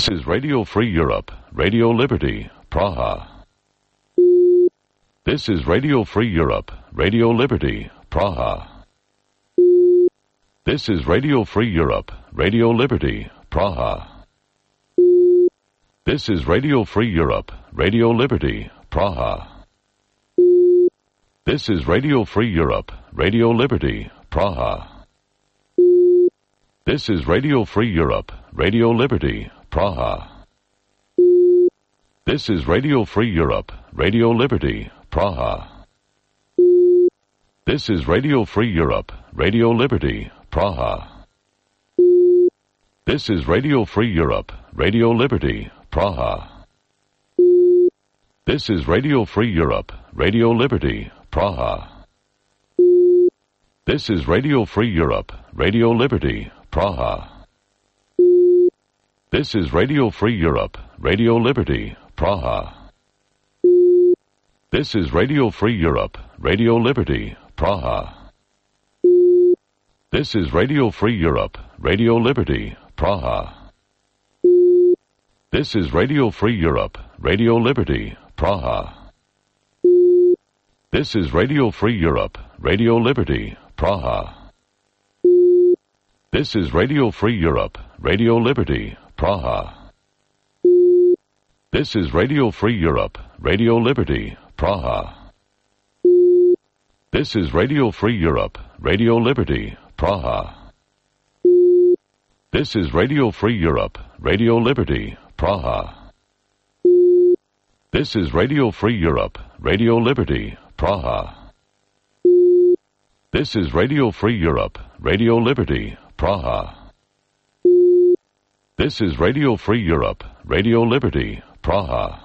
This is Radio Free Europe, Radio Liberty, Praha. This is Radio Free Europe, Radio Liberty, Praha. This is Radio Free Europe, Radio Liberty, Praha. This is Radio Free Europe, Radio Liberty, Praha. This is Radio Free Europe, Radio Liberty, Praha. This is Radio Free Europe, Radio Liberty, Praha. This is Radio Free Europe, Radio Liberty, Praha. This is Radio Free Europe, Radio Liberty, Praha. This is Radio Free Europe, Radio Liberty, Praha. This is Radio Free Europe, Radio Liberty, Praha. This is Radio Free Europe, Radio Liberty, Praha. This is Radio Free Europe, Radio Liberty, Praha. This is Radio Free Europe, Radio Liberty, Praha. This is Radio Free Europe, Radio Liberty, Praha. This is Radio Free Europe, Radio Liberty, Praha. This is Radio Free Europe, Radio Liberty, Praha. This is Radio Free Europe, Radio Liberty, Praha. This is Radio Free Europe, Radio Liberty, Praha. This is Radio Free Europe, Radio Liberty, Praha. This is Radio Free Europe, Radio Liberty, Praha. This is Radio Free Europe, Radio Liberty, Praha. This is Radio Free Europe, Radio Liberty, Praha. This is Radio Free Europe, Radio Liberty, Praha.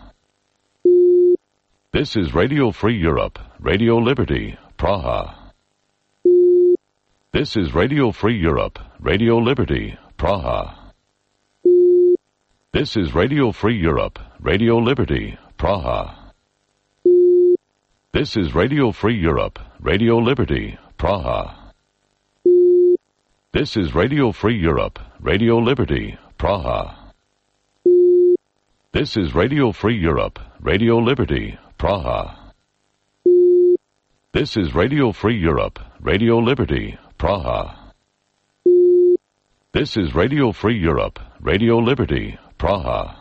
This is Radio Free Europe, Radio Liberty, Praha. This is Radio Free Europe, Radio Liberty, Praha. This is Radio Free Europe, Radio Liberty, Praha. This is Radio Free Europe, Radio Liberty, Praha. This is Radio Free Europe, Radio Liberty, Praha. This is Radio Free Europe, Radio Liberty, Praha. This is Radio Free Europe, Radio Liberty, Praha.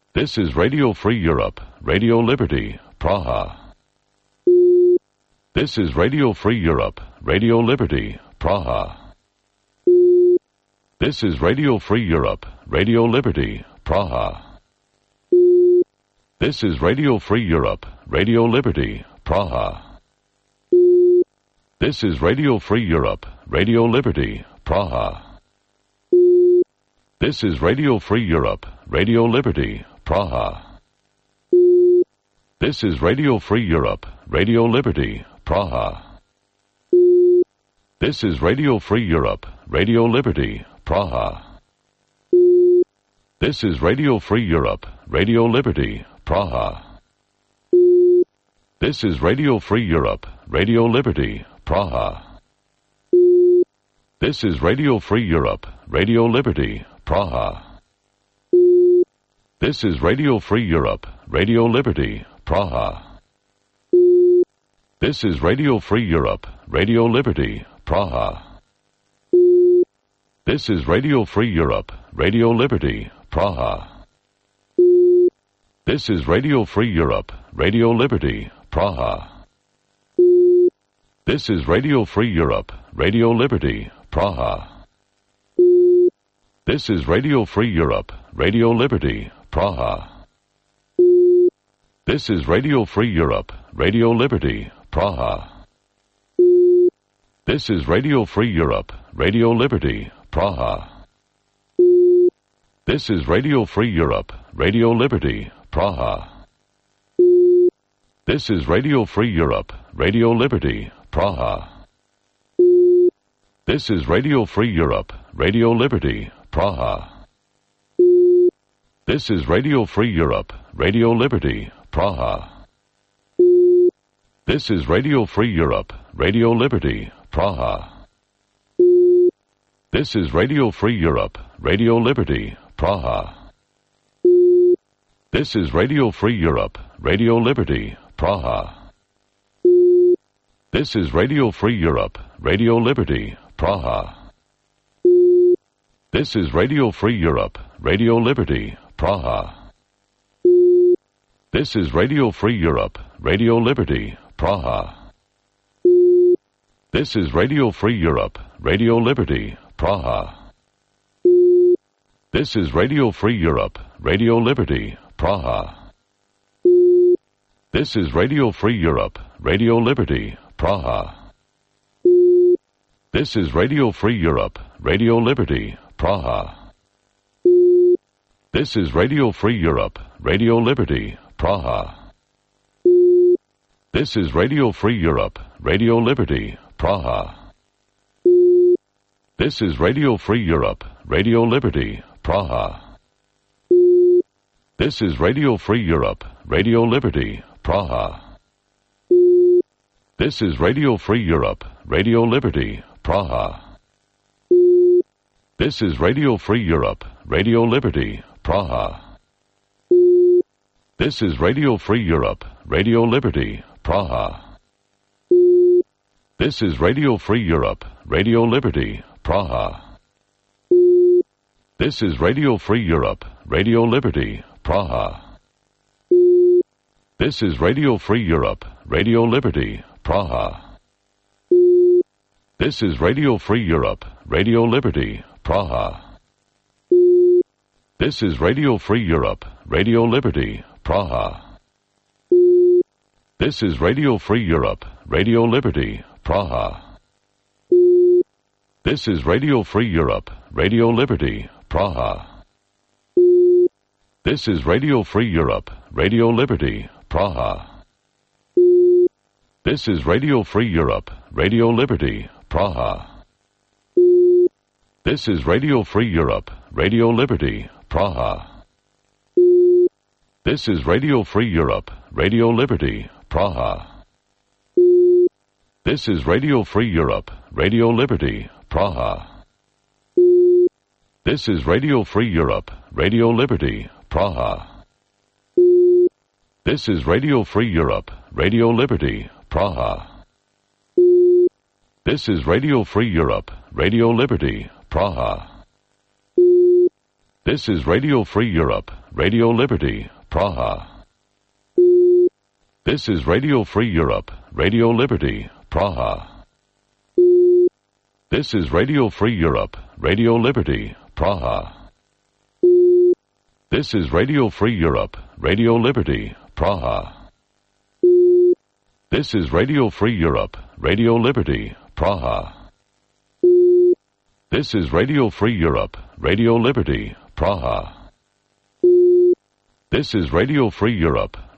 This is Radio Free Europe, Radio Liberty, Praha. This is Radio Free Europe, Radio Liberty, Praha. This is Radio Free Europe, Radio Liberty, Praha. This is Radio Free Europe, Radio Liberty, Praha. This is Radio Free Europe, Radio Liberty, Praha. This is Radio Free Europe, Radio Liberty, Praha. This is Radio Free Europe, Radio Liberty, Praha. This is Radio Free Europe, Radio Liberty, Praha. This is Radio Free Europe, Radio Liberty, Praha. This is Radio Free Europe, Radio Liberty, Praha. This is Radio Free Europe, Radio Liberty, Praha. This is Radio Free Europe, Radio Liberty, Praha. This is Radio Free Europe, Radio Liberty, Praha. This is Radio Free Europe, Radio Liberty, Praha. This is Radio Free Europe, Radio Liberty, Praha. This is Radio Free Europe, Radio Liberty, Praha. This is Radio Free Europe, Radio Liberty, Praha. This is Radio Free Europe, Radio Liberty, Praha. This is Radio Free Europe, Radio Liberty, Praha. This is Radio Free Europe, Radio Liberty, Praha. This is Radio Free Europe, Radio Liberty, Praha. This is Radio Free Europe, Radio Liberty, Praha. This is Radio Free Europe, Radio Liberty, Praha. This is Radio Free Europe, Radio Liberty, Praha. This is Radio Free Europe, Radio Liberty, Praha. This is Radio Free Europe, Radio Liberty, Praha. This is Radio Free Europe, Radio Liberty, Praha. This is Radio Free Europe, Radio Liberty, Praha. This is Radio Free Europe, Radio Liberty, Praha. This is Radio Free Europe, Radio Liberty, Praha. This is Radio Free Europe, Radio Liberty, Praha. This is Radio Free Europe, Radio Liberty, Praha. This is Radio Free Europe, Radio Liberty, Praha. This is Radio Free Europe, Radio Liberty, Praha. This is Radio Free Europe, Radio Liberty, Praha. This is Radio Free Europe, Radio Liberty, Praha. This is Radio Free Europe, Radio Liberty, Praha. This is Radio Free Europe, Radio Liberty, Praha. This is Radio Free Europe, Radio Liberty, Praha. This is Radio Free Europe, Radio Liberty, Praha. This is Radio Free Europe, Radio Liberty, Praha. This is Radio Free Europe, Radio Liberty, Praha. This is Radio Free Europe, Radio Liberty, Praha. This is Radio Free Europe, Radio Liberty, Praha. This is Radio Free Europe, Radio Liberty, Praha. This is Radio Free Europe, Radio Liberty, Praha. This is Radio Free Europe, Radio Liberty, Praha. This is Radio Free Europe, Radio Liberty, Praha. This is Radio Free Europe, Radio Liberty, Praha. This is Radio Free Europe, Radio Liberty, Praha. This is Radio Free Europe, Radio Liberty, Praha. This is Radio Free Europe, Radio Liberty, Praha. This is Radio Free Europe, Radio Liberty, Praha. This is Radio Free Europe, Radio Liberty, Praha. This is Radio Free Europe, Radio Liberty, Praha. This is Radio Free Europe, Radio Liberty, Praha. This is Radio Free Europe, Radio Liberty, Praha. This is Radio Free Europe, Radio Liberty, Praha. This is Radio Free Europe, Radio Liberty, Praha. This is Radio Free Europe, Radio Liberty, Praha. This is Radio Free Europe, Radio Liberty, Praha. This is Radio Free Europe, Radio Liberty, Praha. This is Radio Free Europe,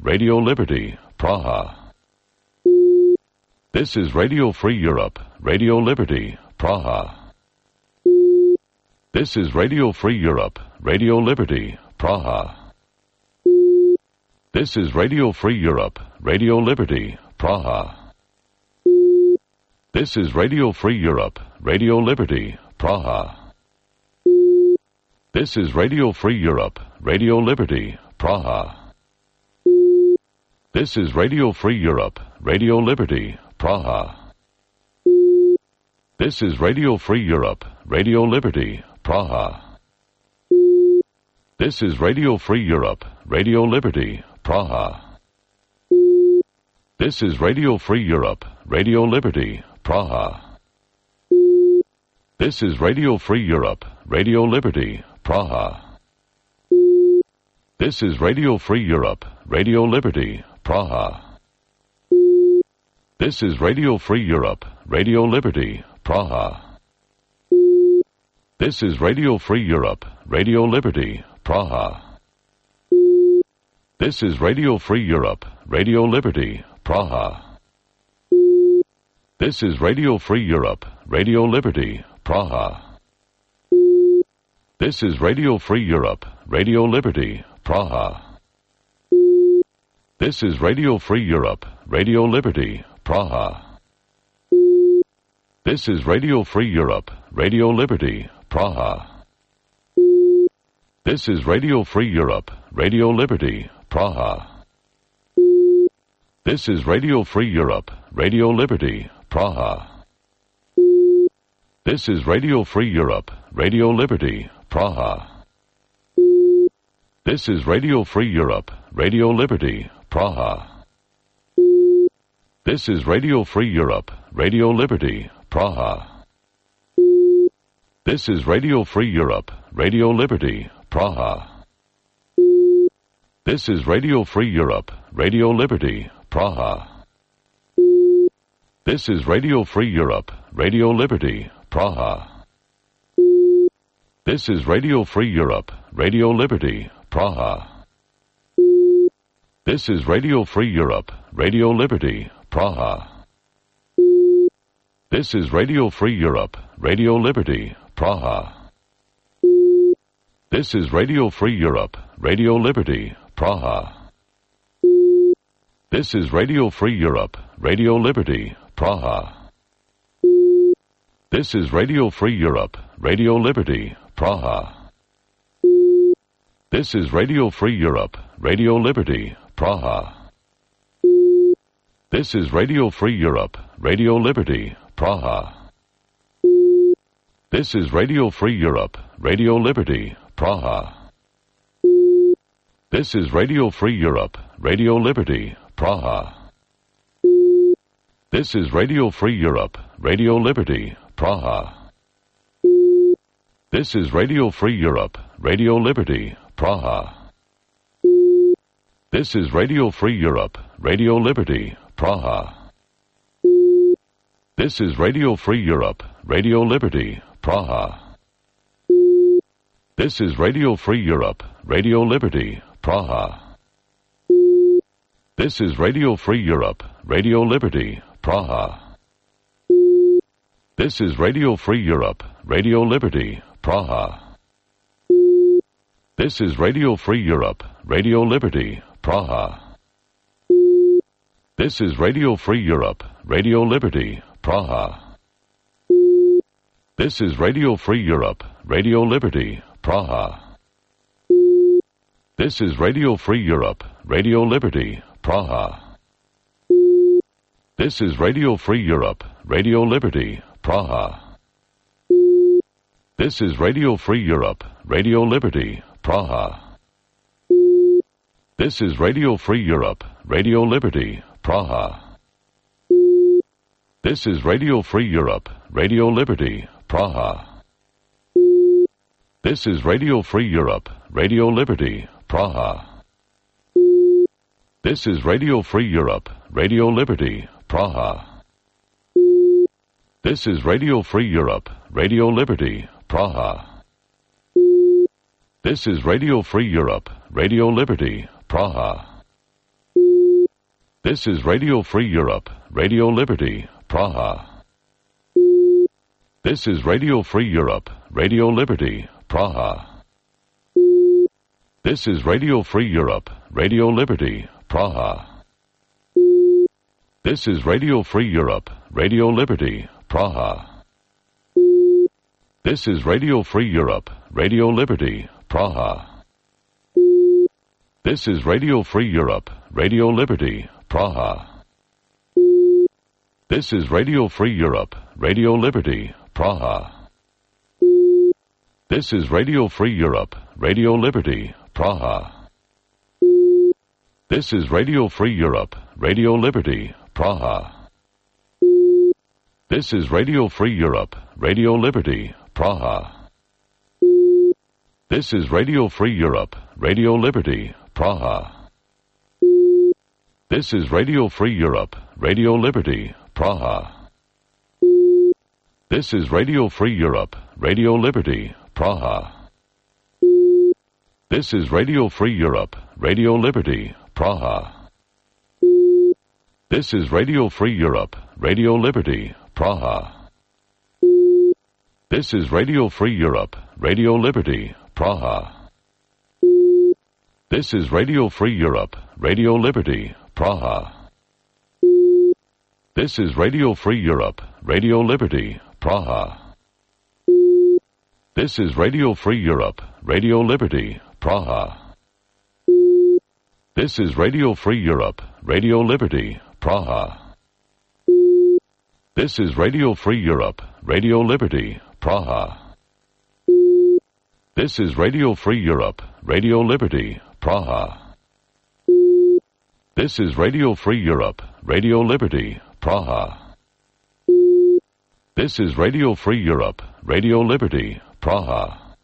Radio Liberty, Praha. This is Radio Free Europe, Radio Liberty, Praha. This is Radio Free Europe, Radio Liberty, Praha. This is Radio Free Europe, Radio Liberty, Praha. This is Radio Free Europe, Radio Liberty, Praha. This is Radio Free Europe, Radio Liberty, Praha. This is Radio Free Europe, Radio Liberty, Praha. This is Radio Free Europe, Radio Liberty, Praha. This is Radio Free Europe, Radio Liberty, Praha. This is Radio Free Europe, Radio Liberty, Praha. This is Radio Free Europe, Radio Liberty, Praha. This is Radio Free Europe, Radio Liberty, Praha. This is Radio Free Europe, Radio Liberty, Praha. This is Radio Free Europe, Radio Liberty, Praha. This is Radio Free Europe, Radio Liberty, Praha. This is Radio Free Europe, Radio Liberty, Praha. This is Radio Free Europe, Radio Liberty, Praha. This is Radio Free Europe, Radio Liberty, Praha. This is Radio Free Europe, Radio Liberty, Praha. This is Radio Free Europe, Radio Liberty, Praha. This is Radio Free Europe, Radio Liberty, Praha. This is Radio Free Europe, Radio Liberty, Praha. This is Radio Free Europe, Radio Liberty, Praha. This is Radio Free Europe, Radio Liberty, Praha. This is Radio Free Europe, Radio Liberty, Praha. This is Radio Free Europe, Radio Liberty, Praha. This is Radio Free Europe, Radio Liberty, Praha. This is Radio Free Europe, Radio Liberty, Praha. This is Radio Free Europe, Radio Liberty, Praha. This is Radio Free Europe, Radio Liberty, Praha. This is Radio Free Europe, Radio Liberty, Praha. This is Radio Free Europe, Radio Liberty, Praha. This is Radio Free Europe, Radio Liberty, Praha. This is Radio Free Europe, Radio Liberty, Praha. This is Radio Free Europe, Radio Liberty, Praha. This is Radio Free Europe, Radio Liberty, Praha. This is Radio Free Europe, Radio Liberty, Praha. This is Radio Free Europe, Radio Liberty, Praha. This is Radio Free Europe, Radio Liberty, Praha. This is Radio Free Europe, Radio Liberty, Praha. This is Radio Free Europe, Radio Liberty, Praha. This is Radio Free Europe, Radio Liberty, Praha. This is Radio Free Europe, Radio Liberty, Praha. This is Radio Free Europe, Radio Liberty, Praha. This is Radio Free Europe, Radio Liberty, Praha. This is Radio Free Europe, Radio Liberty, Praha. This is Radio Free Europe, Radio Liberty, Praha. This is Radio Free Europe, Radio Liberty, Praha. This is Radio Free Europe, Radio Liberty, Praha. This is Radio Free Europe, Radio Liberty, Praha. This is Radio Free Europe, Radio Liberty, Praha. This is Radio Free Europe, Radio Liberty, Praha. This is Radio Free Europe, Radio Liberty, Praha. This is Radio Free Europe, Radio Liberty, Praha. This is Radio Free Europe, Radio Liberty, Praha. This is Radio Free Europe, Radio Liberty, Praha. This is Radio Free Europe, Radio Liberty, Praha. This is Radio Free Europe, Radio Liberty, Praha. This is Radio Free Europe, Radio Liberty, Praha. This is Radio Free Europe, Radio Liberty, Praha. This is Radio Free Europe, Radio Liberty, Praha. This is Radio Free Europe, Radio Liberty, Praha. This is Radio Free Europe, Radio Liberty, Praha. This is Radio Free Europe, Radio Liberty, Praha. This is Radio Free Europe, Radio Liberty, Praha. This is Radio Free Europe, Radio Liberty, Praha. This is Radio Free Europe, Radio Liberty, Praha. This is Radio Free Europe, Radio Liberty, Praha. This is Radio Free Europe, Radio Liberty, Praha. This is Radio Free Europe, Radio Liberty, Praha. This is Radio Free Europe, Radio Liberty, Praha. This is Radio Free Europe, Radio Liberty, Praha. This is Radio Free Europe, Radio Liberty, Praha. This is Radio Free Europe, Radio Liberty, Praha. This is Radio Free Europe, Radio Liberty, Praha. This is Radio Free Europe, Radio Liberty, Praha. This is Radio Free Europe, Radio Liberty, Praha. This is Radio Free Europe, Radio Liberty, Praha. This is Radio Free Europe, Radio Liberty, Praha. This is Radio Free Europe, Radio Liberty, Praha.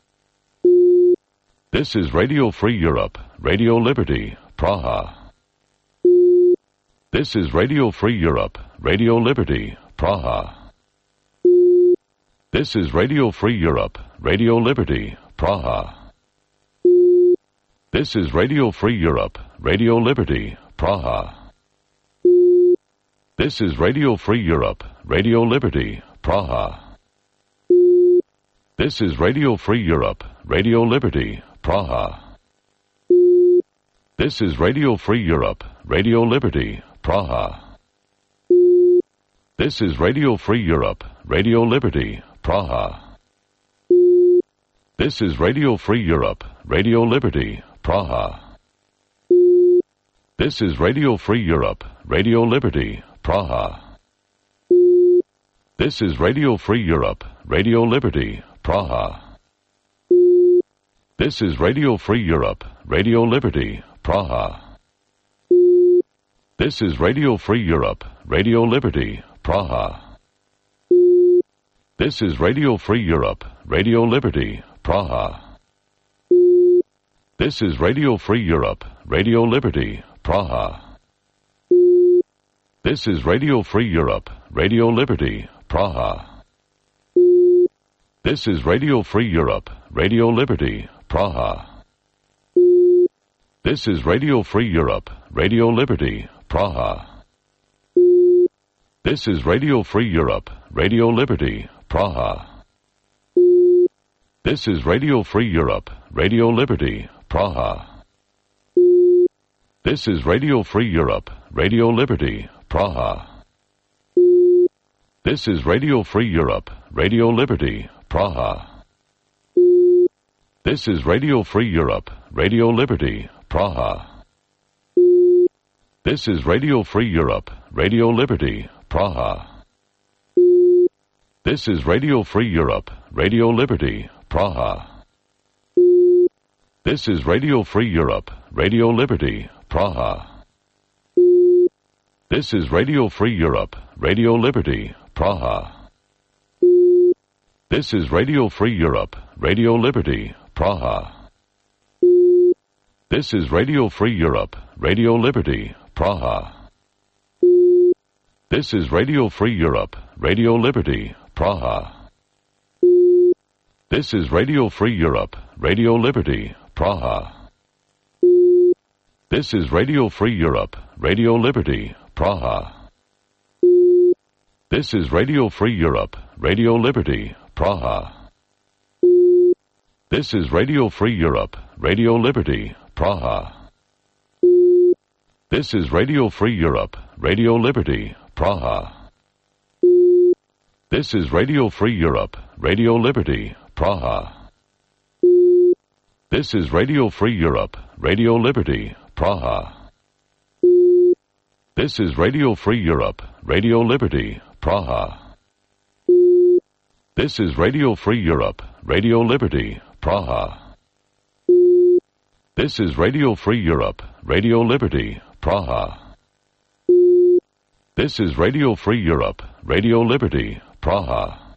This is Radio Free Europe, Radio Liberty, Praha. This is Radio Free Europe, Radio Liberty, Praha. This is Radio Free Europe, Radio Liberty, Praha. This is Radio Free Europe, Radio Liberty, Praha. This is Radio Free Europe, Radio Liberty, Praha. This is Radio Free Europe, Radio Liberty, Praha. This is Radio Free Europe, Radio Liberty, Praha. This is Radio Free Europe, Radio Liberty, Praha. This is Radio Free Europe, Radio Liberty, Praha. This is Radio Free Europe, Radio Liberty, Praha. This is Radio Free Europe, Radio Liberty, Praha. This is Radio Free Europe, Radio Liberty, Praha. This is Radio Free Europe, Radio Liberty, Praha. This is Radio Free Europe, Radio Liberty, Praha. This is Radio Free Europe, Radio Liberty, Praha. This is Radio Free Europe, Radio Liberty, Praha. This is Radio Free Europe, Radio Liberty, Praha. This is Radio Free Europe, Radio Liberty, Praha. This is Radio Free Europe, Radio Liberty, Praha. This is Radio Free Europe, Radio Liberty, Praha. This is Radio Free Europe, Radio Liberty, Praha. This is Radio Free Europe, Radio Liberty, Praha. This is Radio Free Europe, Radio Liberty, Praha. This is Radio Free Europe, Radio Liberty, Praha. This is Radio Free Europe, Radio Liberty, Praha. This is Radio Free Europe, Radio Liberty, Praha. This is Radio Free Europe, Radio Liberty, Praha. This is Radio Free Europe, Radio Liberty, Praha. This is Radio Free Europe, Radio Liberty, Praha. This is Radio Free Europe, Radio Liberty, Praha. This is Radio Free Europe, Radio Liberty, Praha. This is Radio Free Europe, Radio Liberty, Praha. This is Radio Free Europe, Radio Liberty, Praha. This is Radio Free Europe, Radio Liberty, Praha. This is Radio Free Europe, Radio Liberty, Praha. This is Radio Free Europe, Radio Liberty, Praha. This is Radio Free Europe, Radio Liberty, Praha. This is Radio Free Europe, Radio Liberty, Praha. This is Radio Free Europe, Radio Liberty, Praha. This is Radio Free Europe, Radio Liberty, Praha. This is Radio Free Europe, Radio Liberty, Praha.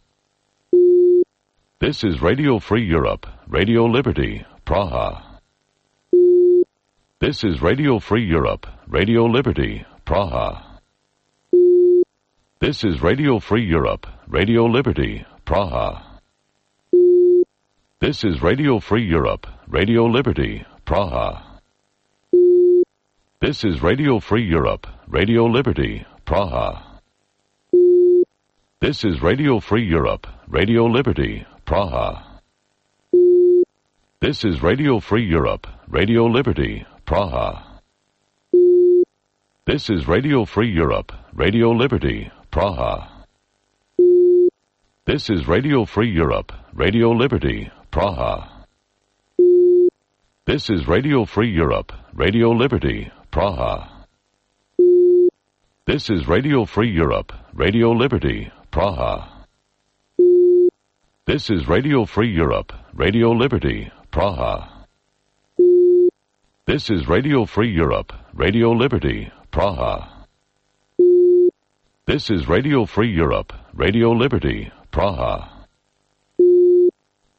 This is Radio Free Europe, Radio Liberty, Praha. This is Radio Free Europe, Radio Liberty, Praha. This is Radio Free Europe, Radio Liberty, Praha. This is Radio Free Europe, Radio Liberty, Praha. This is Radio Free Europe, Radio Liberty, Praha. This is Radio Free Europe, Radio Liberty, Praha. This is Radio Free Europe, Radio Liberty, Praha. This is Radio Free Europe, Radio Liberty, Praha. This is Radio Free Europe, Radio Liberty, Praha. This is Radio Free Europe, Radio Liberty, Praha. This is Radio Free Europe, Radio Liberty, Praha. This is Radio Free Europe, Radio Liberty, Praha. This is Radio Free Europe, Radio Liberty, Praha. This is Radio Free Europe, Radio Liberty, Praha.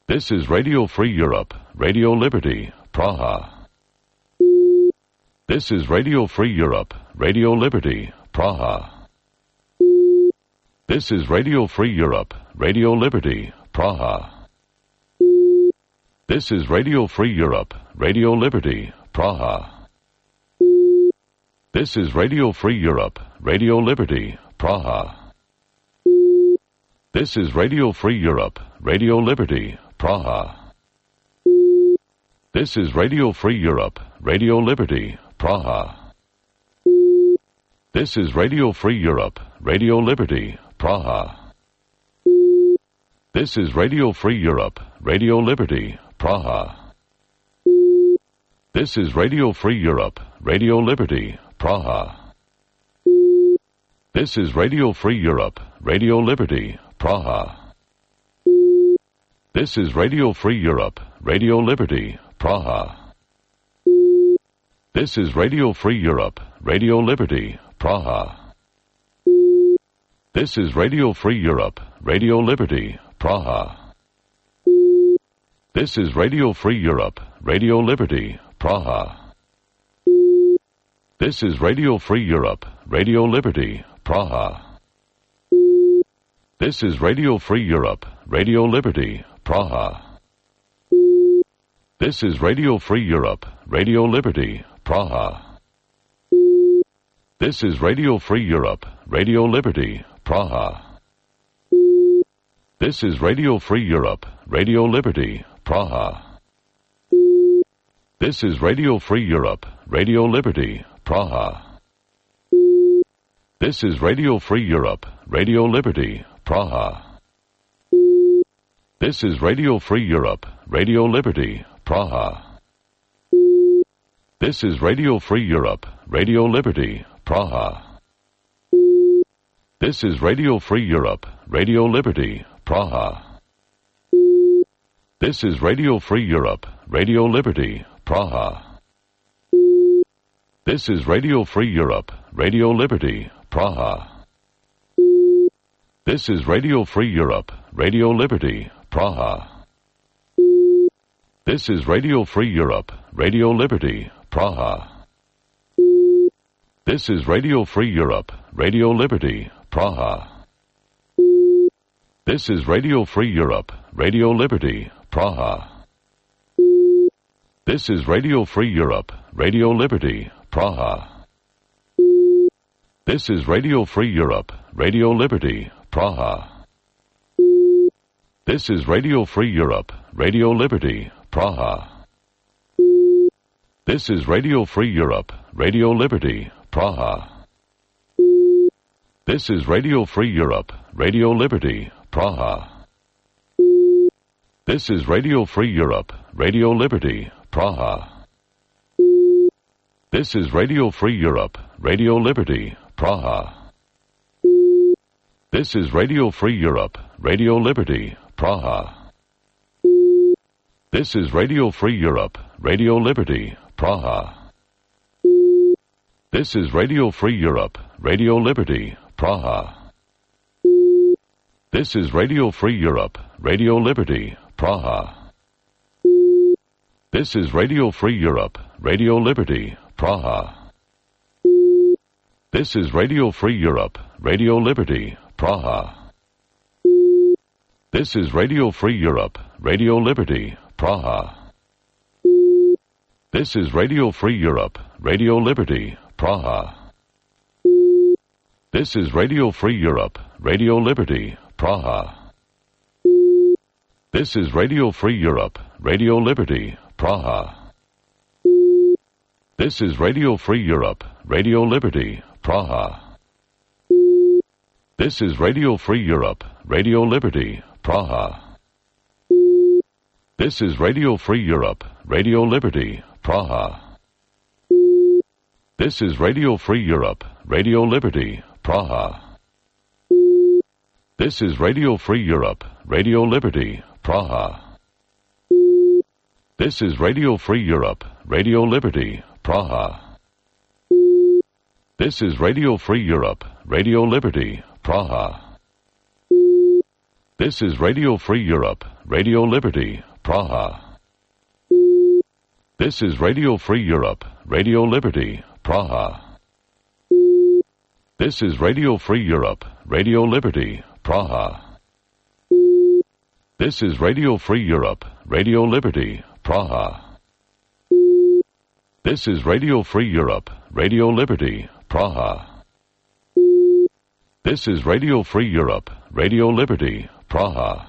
This is Radio Free Europe, Radio Liberty, Praha. This is Radio Free Europe, Radio Liberty, Praha. This is Radio Free Europe, Radio Liberty, Praha. This is Radio Free Europe, Radio Liberty, Praha. This is Radio Free Europe, Radio Liberty, Praha. This is Radio Free Europe, Radio Liberty, Praha. This is Radio Free Europe, Radio Liberty, Praha. This is Radio Free Europe, Radio Liberty, Praha. This is Radio Free Europe, Radio Liberty, Praha. This is Radio Free Europe, Radio Liberty, Praha. This is Radio Free Europe, Radio Liberty, Praha. This is Radio Free Europe, Radio Liberty, Praha. This is Radio Free Europe, Radio Liberty, Praha. This is Radio Free Europe, Radio Liberty, Praha. This is Radio Free Europe, Radio Liberty, Praha. This is Radio Free Europe, Radio Liberty, Praha. This is Radio Free Europe, Radio Liberty, Praha. This is Radio Free Europe, Radio Liberty, Praha. This is Radio Free Europe, Radio Liberty, Praha. This is Radio Free Europe, Radio Liberty, Praha. This is Radio Free Europe, Radio Liberty, Praha. This is Radio Free Europe, Radio Liberty, Praha. This is Radio Free Europe, Radio Liberty, Praha. This is Radio Free Europe, Radio Liberty, Praha. This is Radio Free Europe, Radio Liberty, Praha. This is Radio Free Europe, Radio Liberty, Praha. This is Radio Free Europe, Radio Liberty, Praha. This is Radio Free Europe, Radio Liberty, Praha. This is Radio Free Europe, Radio Liberty, Praha. This is Radio Free Europe, Radio Liberty, Praha. This is Radio Free Europe, Radio Liberty, Praha. This is Radio Free Europe, Radio Liberty, Praha. This is Radio Free Europe, Radio Liberty, Praha. This is Radio Free Europe, Radio Liberty, Praha. This is Radio Free Europe, Radio Liberty, Praha. This is Radio Free Europe, Radio Liberty, Praha. This is Radio Free Europe, Radio Liberty, Praha. This is Radio Free Europe, Radio Liberty, Praha. This is Radio Free Europe, Radio Liberty, Praha. This is Radio Free Europe, Radio Liberty, Praha. This is Radio Free Europe, Radio Liberty, Praha. This is Radio Free Europe, Radio Liberty, Praha. This is Radio Free Europe, Radio Liberty, Praha. This is Radio Free Europe, Radio Liberty, Praha. This is Radio Free Europe, Radio Liberty, Praha. This is Radio Free Europe, Radio Liberty, Praha. This is Radio Free Europe, Radio Liberty, Praha. This is Radio Free Europe, Radio Liberty, Praha. This is Radio Free Europe, Radio Liberty, Praha. This is Radio Free Europe, Radio Liberty, Praha. This is Radio Free Europe, Radio Liberty, Praha. This is Radio Free Europe, Radio Liberty, Praha. This is Radio Free Europe, Radio Liberty, Praha. This is Radio Free Europe, Radio Liberty, Praha. This is Radio Free Europe, Radio Liberty, Praha. This is Radio Free Europe, Radio Liberty, Praha. This is Radio Free Europe, Radio Liberty, Praha. This is Radio Free Europe, Radio Liberty, Praha. This is Radio Free Europe, Radio Liberty, Praha. This is Radio Free Europe, Radio Liberty, Praha. This is Radio Free Europe, Radio Liberty, Praha.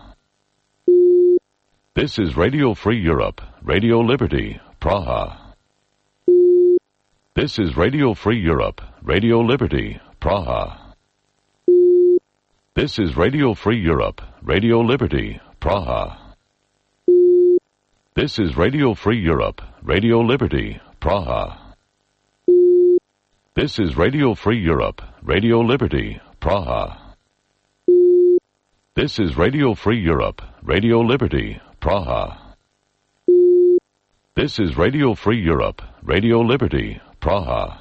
This is Radio Free Europe, Radio Liberty, Praha. This is Radio Free Europe, Radio Liberty, Praha. This is Radio Free Europe, Radio Liberty, Praha. This is Radio Free Europe, Radio Liberty, Praha. This is Radio Free Europe, Radio Liberty, Praha. This is Radio Free Europe, Radio Liberty, Praha. This is Radio Free Europe, Radio Liberty, Praha.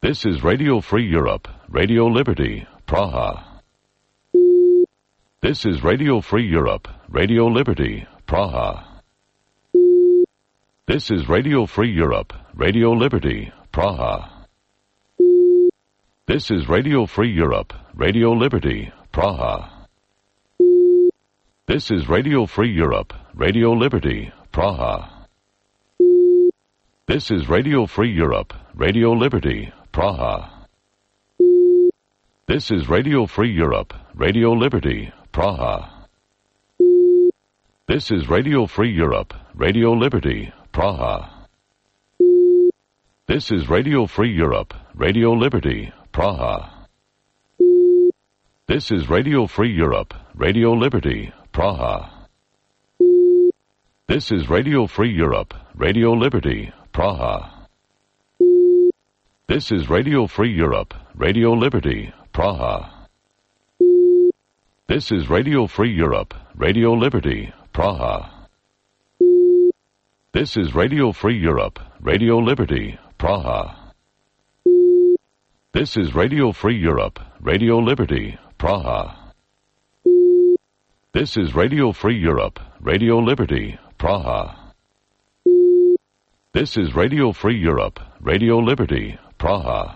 This is Radio Free Europe, Radio Liberty, Praha. This is Radio Free Europe, Radio Liberty, Praha. This is Radio Free Europe, Radio Liberty, Praha. This is Radio Free Europe, Radio Liberty, Praha. This is Radio Free Europe, Radio Liberty, Praha. This is Radio Free Europe, Radio Liberty, Praha. This is Radio Free Europe, Radio Liberty, Praha. This is Radio Free Europe, Radio Liberty, Praha. This is Radio Free Europe, Radio Liberty, Praha. This is Radio Free Europe, Radio Liberty, Praha. This is Radio Free Europe, Radio Liberty, Praha. This is Radio Free Europe, Radio Liberty, Praha. This is Radio Free Europe, Radio Liberty, Praha. This is Radio Free Europe, Radio Liberty, Praha. This is Radio Free Europe, Radio Liberty, Praha. This is Radio Free Europe, Radio Liberty, Praha. This is Radio Free Europe, Radio Liberty, Praha.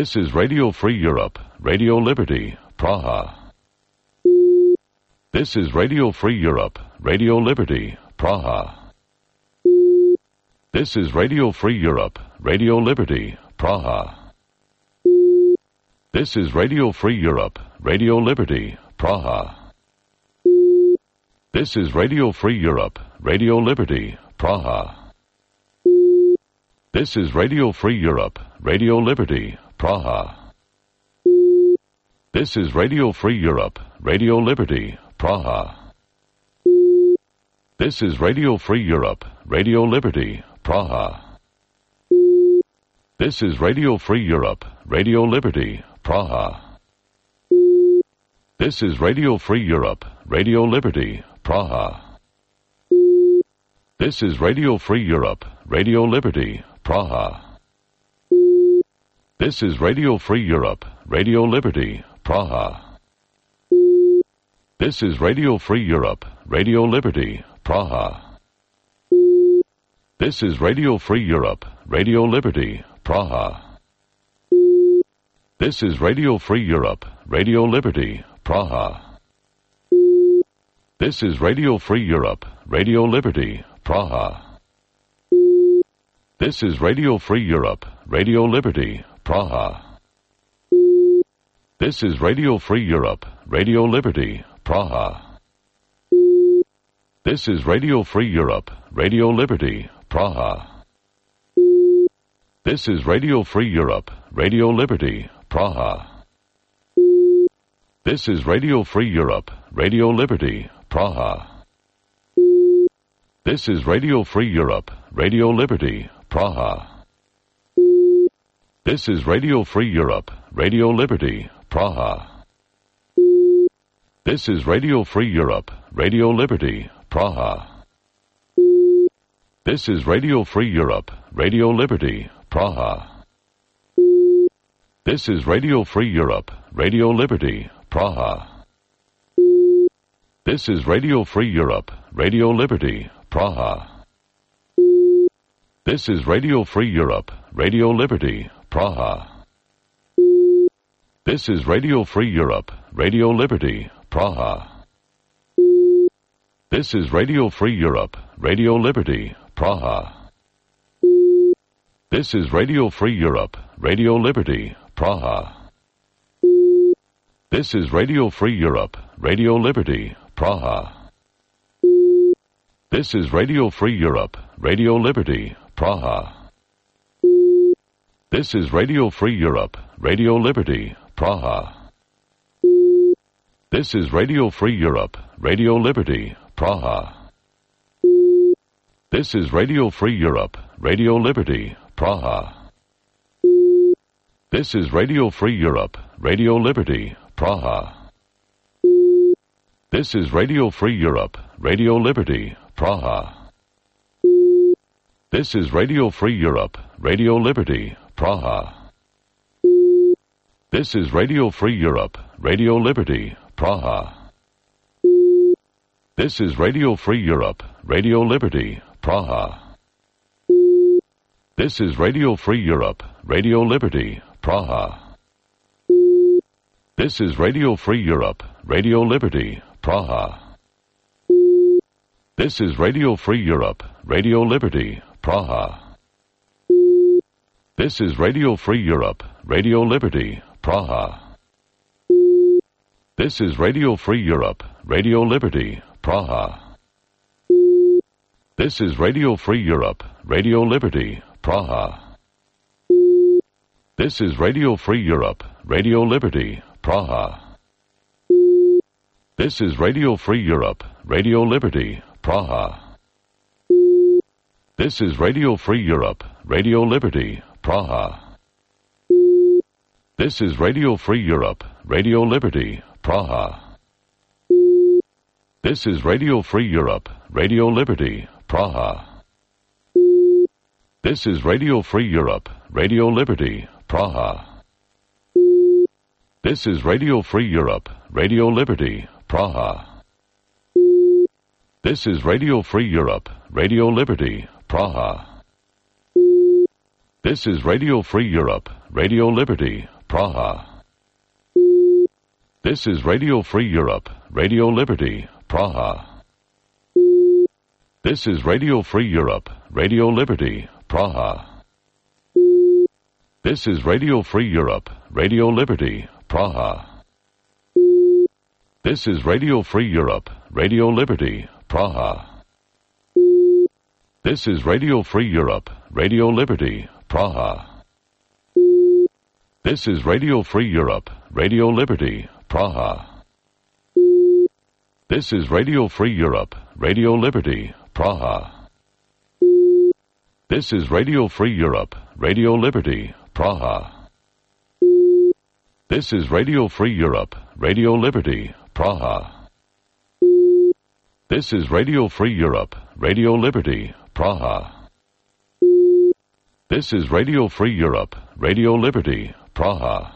This is Radio Free Europe, Radio Liberty, Praha. This is Radio Free Europe, Radio Liberty, Praha. This is Radio Free Europe, Radio Liberty, Praha. This is Radio Free Europe, Radio Liberty, Praha. This is Radio Free Europe, Radio Liberty, Praha. This is Radio Free Europe, Radio Liberty, Praha. This is Radio Free Europe, Radio Liberty, Praha. This is Radio Free Europe, Radio Liberty, Praha. This is Radio Free Europe, Radio Liberty, Praha. This is Radio Free Europe, Radio Liberty, Praha. This is Radio Free Europe, Radio Liberty, Praha. This is Radio Free Europe, Radio Liberty, Praha. This is Radio Free Europe, Radio Liberty, Praha. This is Radio Free Europe, Radio Liberty, Praha. This is Radio Free Europe, Radio Liberty, Praha. This is Radio Free Europe, Radio Liberty, Praha. This is Radio Free Europe, Radio Liberty, Praha. This is Radio Free Europe, Radio Liberty, Praha. This is Radio Free Europe, Radio Liberty, Praha. This is Radio Free Europe, Radio Liberty, Praha. This is Radio Free Europe, Radio Liberty, Praha. This is Radio Free Europe, Radio Liberty, Praha. This is Radio Free Europe, Radio Liberty, Praha. This is Radio Free Europe, Radio Liberty, Praha. This is Radio Free Europe, Radio Liberty, Praha. This is Radio Free Europe, Radio Liberty, Praha. This is Radio Free Europe, Radio Liberty, Praha. This is Radio Free Europe, Radio Liberty, Praha. This is Radio Free Europe, Radio Liberty, Praha. This is Radio Free Europe, Radio Liberty, Praha. This is Radio Free Europe, Radio Liberty, Praha. This is Radio Free Europe, Radio Liberty, Praha. This is Radio Free Europe, Radio Liberty, Praha. This is Radio Free Europe, Radio Liberty, Praha. This is Radio Free Europe, Radio Liberty, Praha. This is Radio Free Europe, Radio Liberty, Praha. This is Radio Free Europe, Radio Liberty, Praha. This is Radio Free Europe, Radio Liberty, Praha. This is Radio Free Europe, Radio Liberty, Praha. This is Radio Free Europe, Radio Liberty, Praha. This is Radio Free Europe, Radio Liberty, Praha. This is Radio Free Europe, Radio Liberty, Praha. This is Radio Free Europe, Radio Liberty, Praha. This is Radio Free Europe, Radio Liberty, Praha. This is Radio Free Europe, Radio Liberty, Praha. This is Radio Free Europe, Radio Liberty, Praha. This is Radio Free Europe, Radio Liberty, Praha. This is Radio Free Europe, Radio Liberty, Praha. This is Radio Free Europe, Radio Liberty, Praha. This is Radio Free Europe, Radio Liberty, Praha. This is Radio Free Europe, Radio Liberty, Praha. This is Radio Free Europe, Radio Liberty, Praha. This is Radio Free Europe, Radio Liberty, Praha. This is Radio Free Europe, Radio Liberty, Praha. This is Radio Free Europe, Radio Liberty, Praha. This is Radio Free Europe, Radio Liberty, Praha. This is Radio Free Europe, Radio Liberty, Praha. This is Radio Free Europe, Radio Liberty, Praha. This is Radio Free Europe, Radio Liberty, Praha. This is Radio Free Europe, Radio Liberty, Praha. This is Radio Free Europe, Radio Liberty, Praha. This is Radio Free Europe, Radio Liberty, Praha. This is Radio Free Europe, Radio Liberty, Praha. This is Radio Free Europe, Radio Liberty, Praha. This is Radio Free Europe, Radio Liberty, Praha. This is Radio Free Europe, Radio Liberty, Praha. This is Radio Free Europe, Radio Liberty, Praha.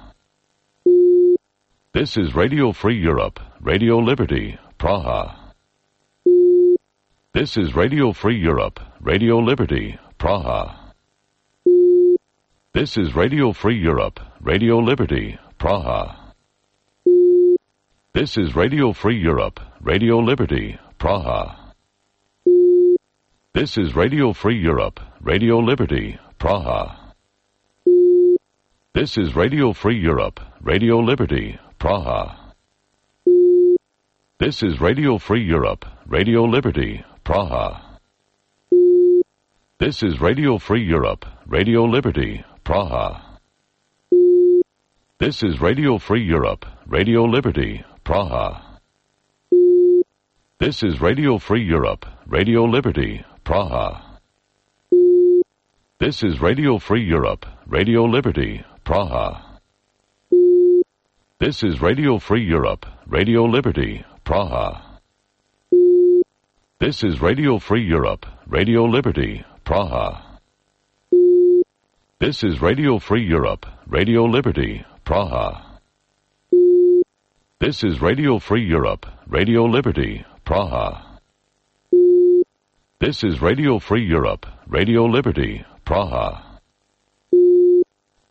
This is Radio Free Europe, Radio Liberty, Praha. This is Radio Free Europe, Radio Liberty, Praha. This is Radio Free Europe, Radio Liberty, Praha. This is Radio Free Europe, Radio Liberty, Praha. This is Radio Free Europe, Radio Liberty, Praha. This is Radio Free Europe, Radio Liberty, Praha. This is Radio Free Europe, Radio Liberty, Praha. This is Radio Free Europe, Radio Liberty, Praha. This is Radio Free Europe, Radio Liberty, Praha. This is Radio Free Europe, Radio Liberty, Praha. This is Radio Free Europe, Radio Liberty, Praha. This is Radio Free Europe, Radio Liberty, Praha. This is Radio Free Europe, Radio Liberty, Praha. This is Radio Free Europe, Radio Liberty, Praha. This is Radio Free Europe, Radio Liberty, Praha. This is Radio Free Europe, Radio Liberty, Praha.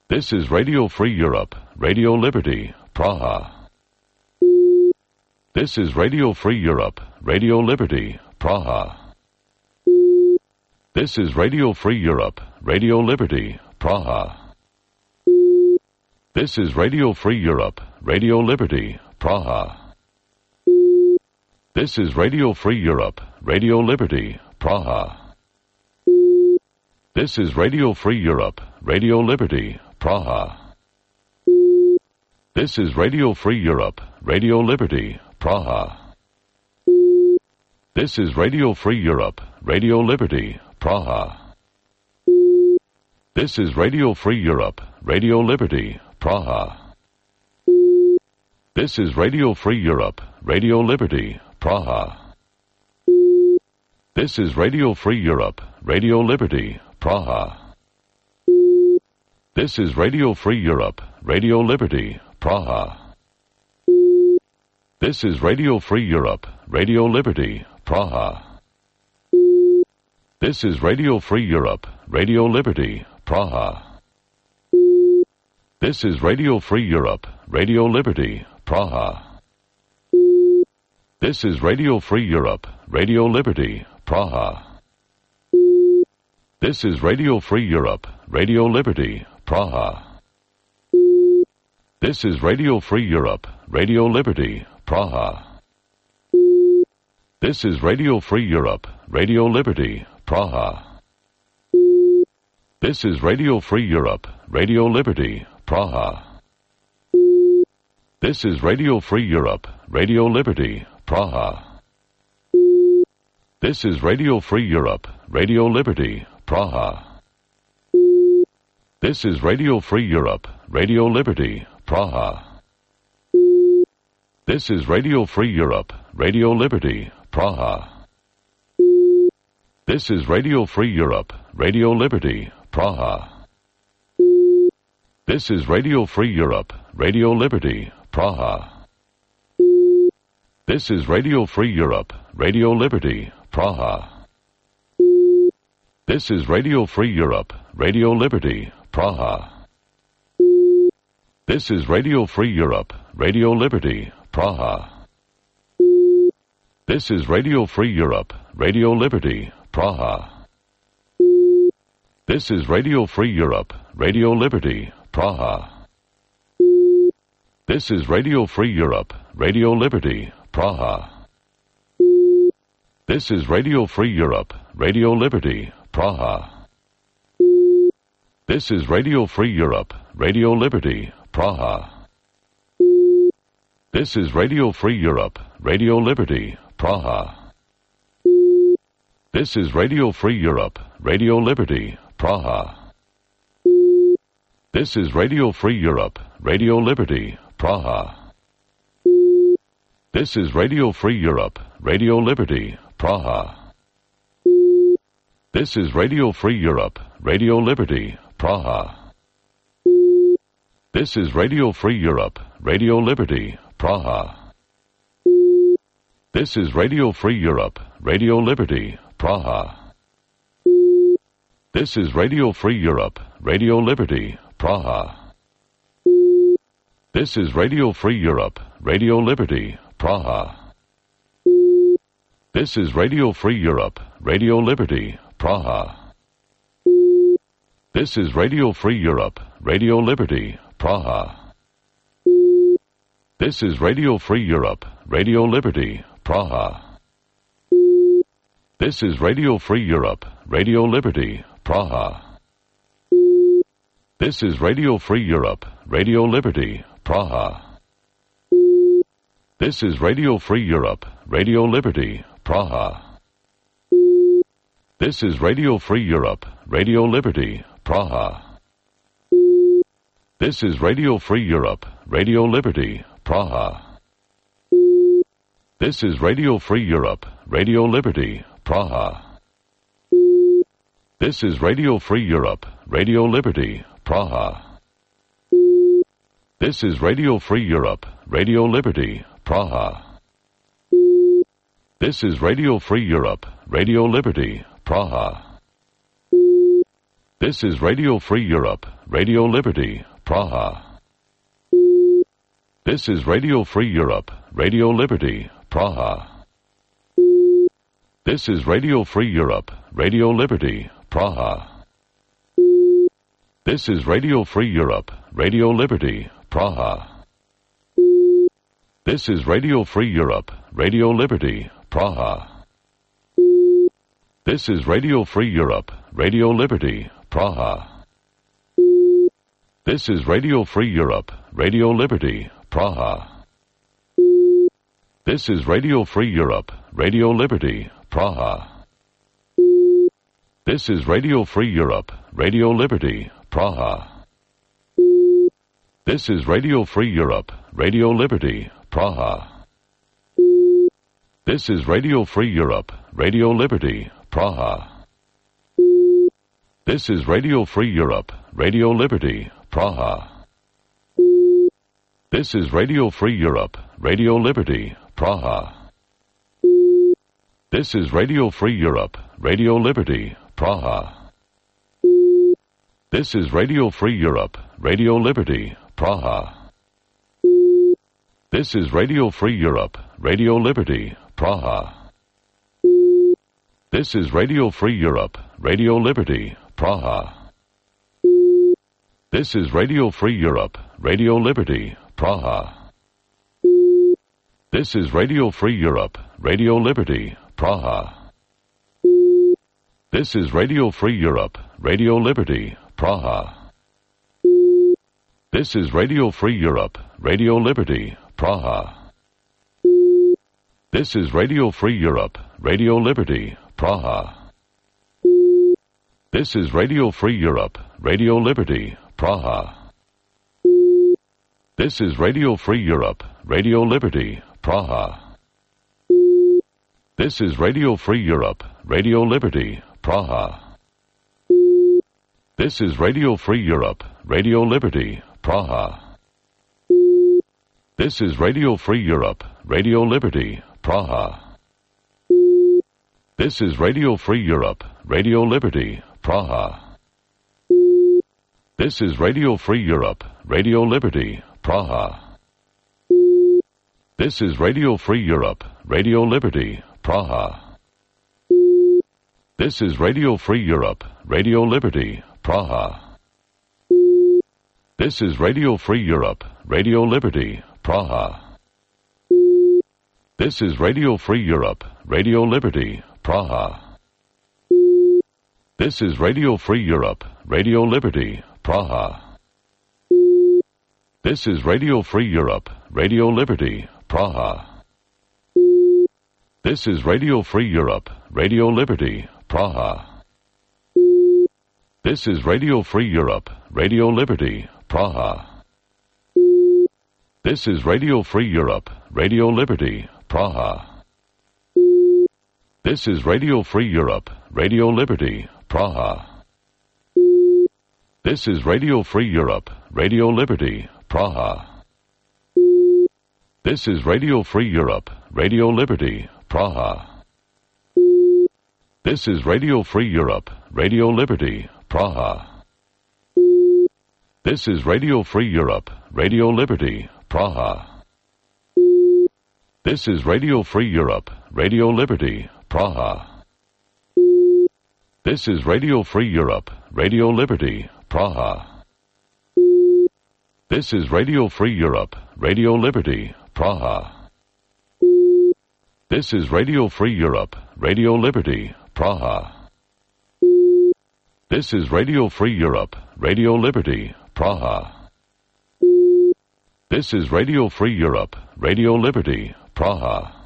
This is Radio Free Europe, Radio Liberty, Praha. This is Radio Free Europe, Radio Liberty, Praha. This is Radio Free Europe, Radio Liberty, Praha. This is Radio Free Europe, Radio Liberty, Praha. This is Radio Free Europe, Radio Liberty, Praha. This is Radio Free Europe, Radio Liberty, Praha. This is Radio Free Europe, Radio Liberty, Praha. This is Radio Free Europe, Radio Liberty, Praha. This is Radio Free Europe, Radio Liberty, Praha. This is Radio Free Europe, Radio Liberty, Praha. This is Radio Free Europe, Radio Liberty, Praha. This is Radio Free Europe, Radio Liberty, Praha. This is Radio Free Europe, Radio Liberty, Praha. This is Radio Free Europe, Radio Liberty, Praha. This is Radio Free Europe, Radio Liberty, Praha. This is Radio Free Europe, Radio Liberty, Praha. This is Radio Free Europe, Radio Liberty, Praha. This is Radio Free Europe, Radio Liberty, Praha. This is Radio Free Europe, Radio Liberty, Praha. This is Radio Free Europe, Radio Liberty, Praha. This is Radio Free Europe, Radio Liberty, Praha. This is Radio Free Europe, Radio Liberty, Praha. This is Radio Free Europe, Radio Liberty, Praha. This is Radio Free Europe, Radio Liberty, Praha. This is Radio Free Europe, Radio Liberty, Praha. This is Radio Free Europe, Radio Liberty, Praha. This is Radio Free Europe, Radio Liberty, Praha. This is Radio Free Europe, Radio Liberty, Praha. This is Radio Free Europe, Radio Liberty, Praha. This is Radio Free Europe, Radio Liberty, Praha. This is Radio Free Europe, Radio Liberty, Praha. This is Radio Free Europe, Radio Liberty, Praha. This is Radio Free Europe, Radio Liberty, Praha. This is Radio Free Europe, Radio Liberty, Praha. This is Radio Free Europe, Radio Liberty, Praha. This is Radio Free Europe, Radio Liberty, Praha. This is Radio Free Europe, Radio Liberty, Praha. This is Radio Free Europe, Radio Liberty, Praha. This is Radio Free Europe, Radio Liberty, Praha. This is Radio Free Europe, Radio Liberty, Praha. This is Radio Free Europe, Radio Liberty, Praha. This is Radio Free Europe, Radio Liberty, Praha. This is Radio Free Europe, Radio Liberty, Praha. This is Radio Free Europe, Radio Liberty, Praha. This is Radio Free Europe, Radio Liberty, Praha. This is Radio Free Europe, Radio Liberty, Praha. This is Radio Free Europe, Radio Liberty, Praha. This is Radio Free Europe, Radio Liberty, Praha. This is Radio Free Europe, Radio Liberty, Praha. This is Radio Free Europe, Radio Liberty, Praha. This is Radio Free Europe, Radio Liberty, Praha. This is Radio Free Europe, Radio Liberty, Praha. This is Radio Free Europe, Radio Liberty, Praha. This is Radio Free Europe, Radio Liberty, Praha. This is Radio Free Europe, Radio Liberty, Praha. This is Radio Free Europe, Radio Liberty, Praha. This is Radio Free Europe, Radio Liberty, Praha. This is Radio Free Europe, Radio Liberty, Praha. This is Radio Free Europe, Radio Liberty, Praha. This is Radio Free Europe, Radio Liberty, Praha. This is Radio Free Europe, Radio Liberty, Praha. This is Radio Free Europe, Radio Liberty, Praha. This is Radio Free Europe, Radio Liberty, Praha. This is Radio Free Europe, Radio Liberty, Praha. This is Radio Free Europe, Radio Liberty, Praha. This is Radio Free Europe, Radio Liberty, Praha. This is Radio Free Europe, Radio Liberty, Praha. This is Radio Free Europe, Radio Liberty, Praha. This is Radio Free Europe, Radio Liberty, Praha. This is Radio Free Europe, Radio Liberty, Praha. This is Radio Free Europe, Radio Liberty, Praha. This is Radio Free Europe, Radio Liberty, Praha. This is Radio Free Europe, Radio Liberty, Praha. This is Radio Free Europe, Radio Liberty, Praha. This is Radio Free Europe, Radio Liberty, Praha. This is Radio Free Europe, Radio Liberty, Praha. This is Radio Free Europe, Radio Liberty, Praha. This is Radio Free Europe, Radio Liberty, Praha. This is Radio Free Europe, Radio Liberty, Praha. This is Radio Free Europe, Radio Liberty, Praha. This is Radio Free Europe, Radio Liberty, Praha. This is Radio Free Europe, Radio Liberty, Praha. This is Radio Free Europe, Radio Liberty, Praha. This is Radio Free Europe, Radio Liberty, Praha. This is Radio Free Europe, Radio Liberty, Praha. This is Radio Free Europe, Radio Liberty, Praha. This is Radio Free Europe, Radio Liberty, Praha. This is Radio Free Europe, Radio Liberty, Praha. This is Radio Free Europe, Radio Liberty, Praha. This is Radio Free Europe, Radio Liberty, Praha. This is Radio Free Europe, Radio Liberty, Praha. This is Radio Free Europe, Radio Liberty, Praha. This is Radio Free Europe, Radio Liberty, Praha. This is Radio Free Europe, Radio Liberty, Praha. This is Radio Free Europe, Radio Liberty, Praha. This is Radio Free Europe, Radio Liberty, Praha. This is Radio Free Europe, Radio Liberty, Praha. This is Radio Free Europe, Radio Liberty, Praha. This is Radio Free Europe, Radio Liberty, Praha. This is Radio Free Europe, Radio Liberty, Praha. This is Radio Free Europe, Radio Liberty, Praha. This is Radio Free Europe, Radio Liberty, Praha. This is Radio Free Europe, Radio Liberty, Praha. This is Radio Free Europe, Radio Liberty, Praha.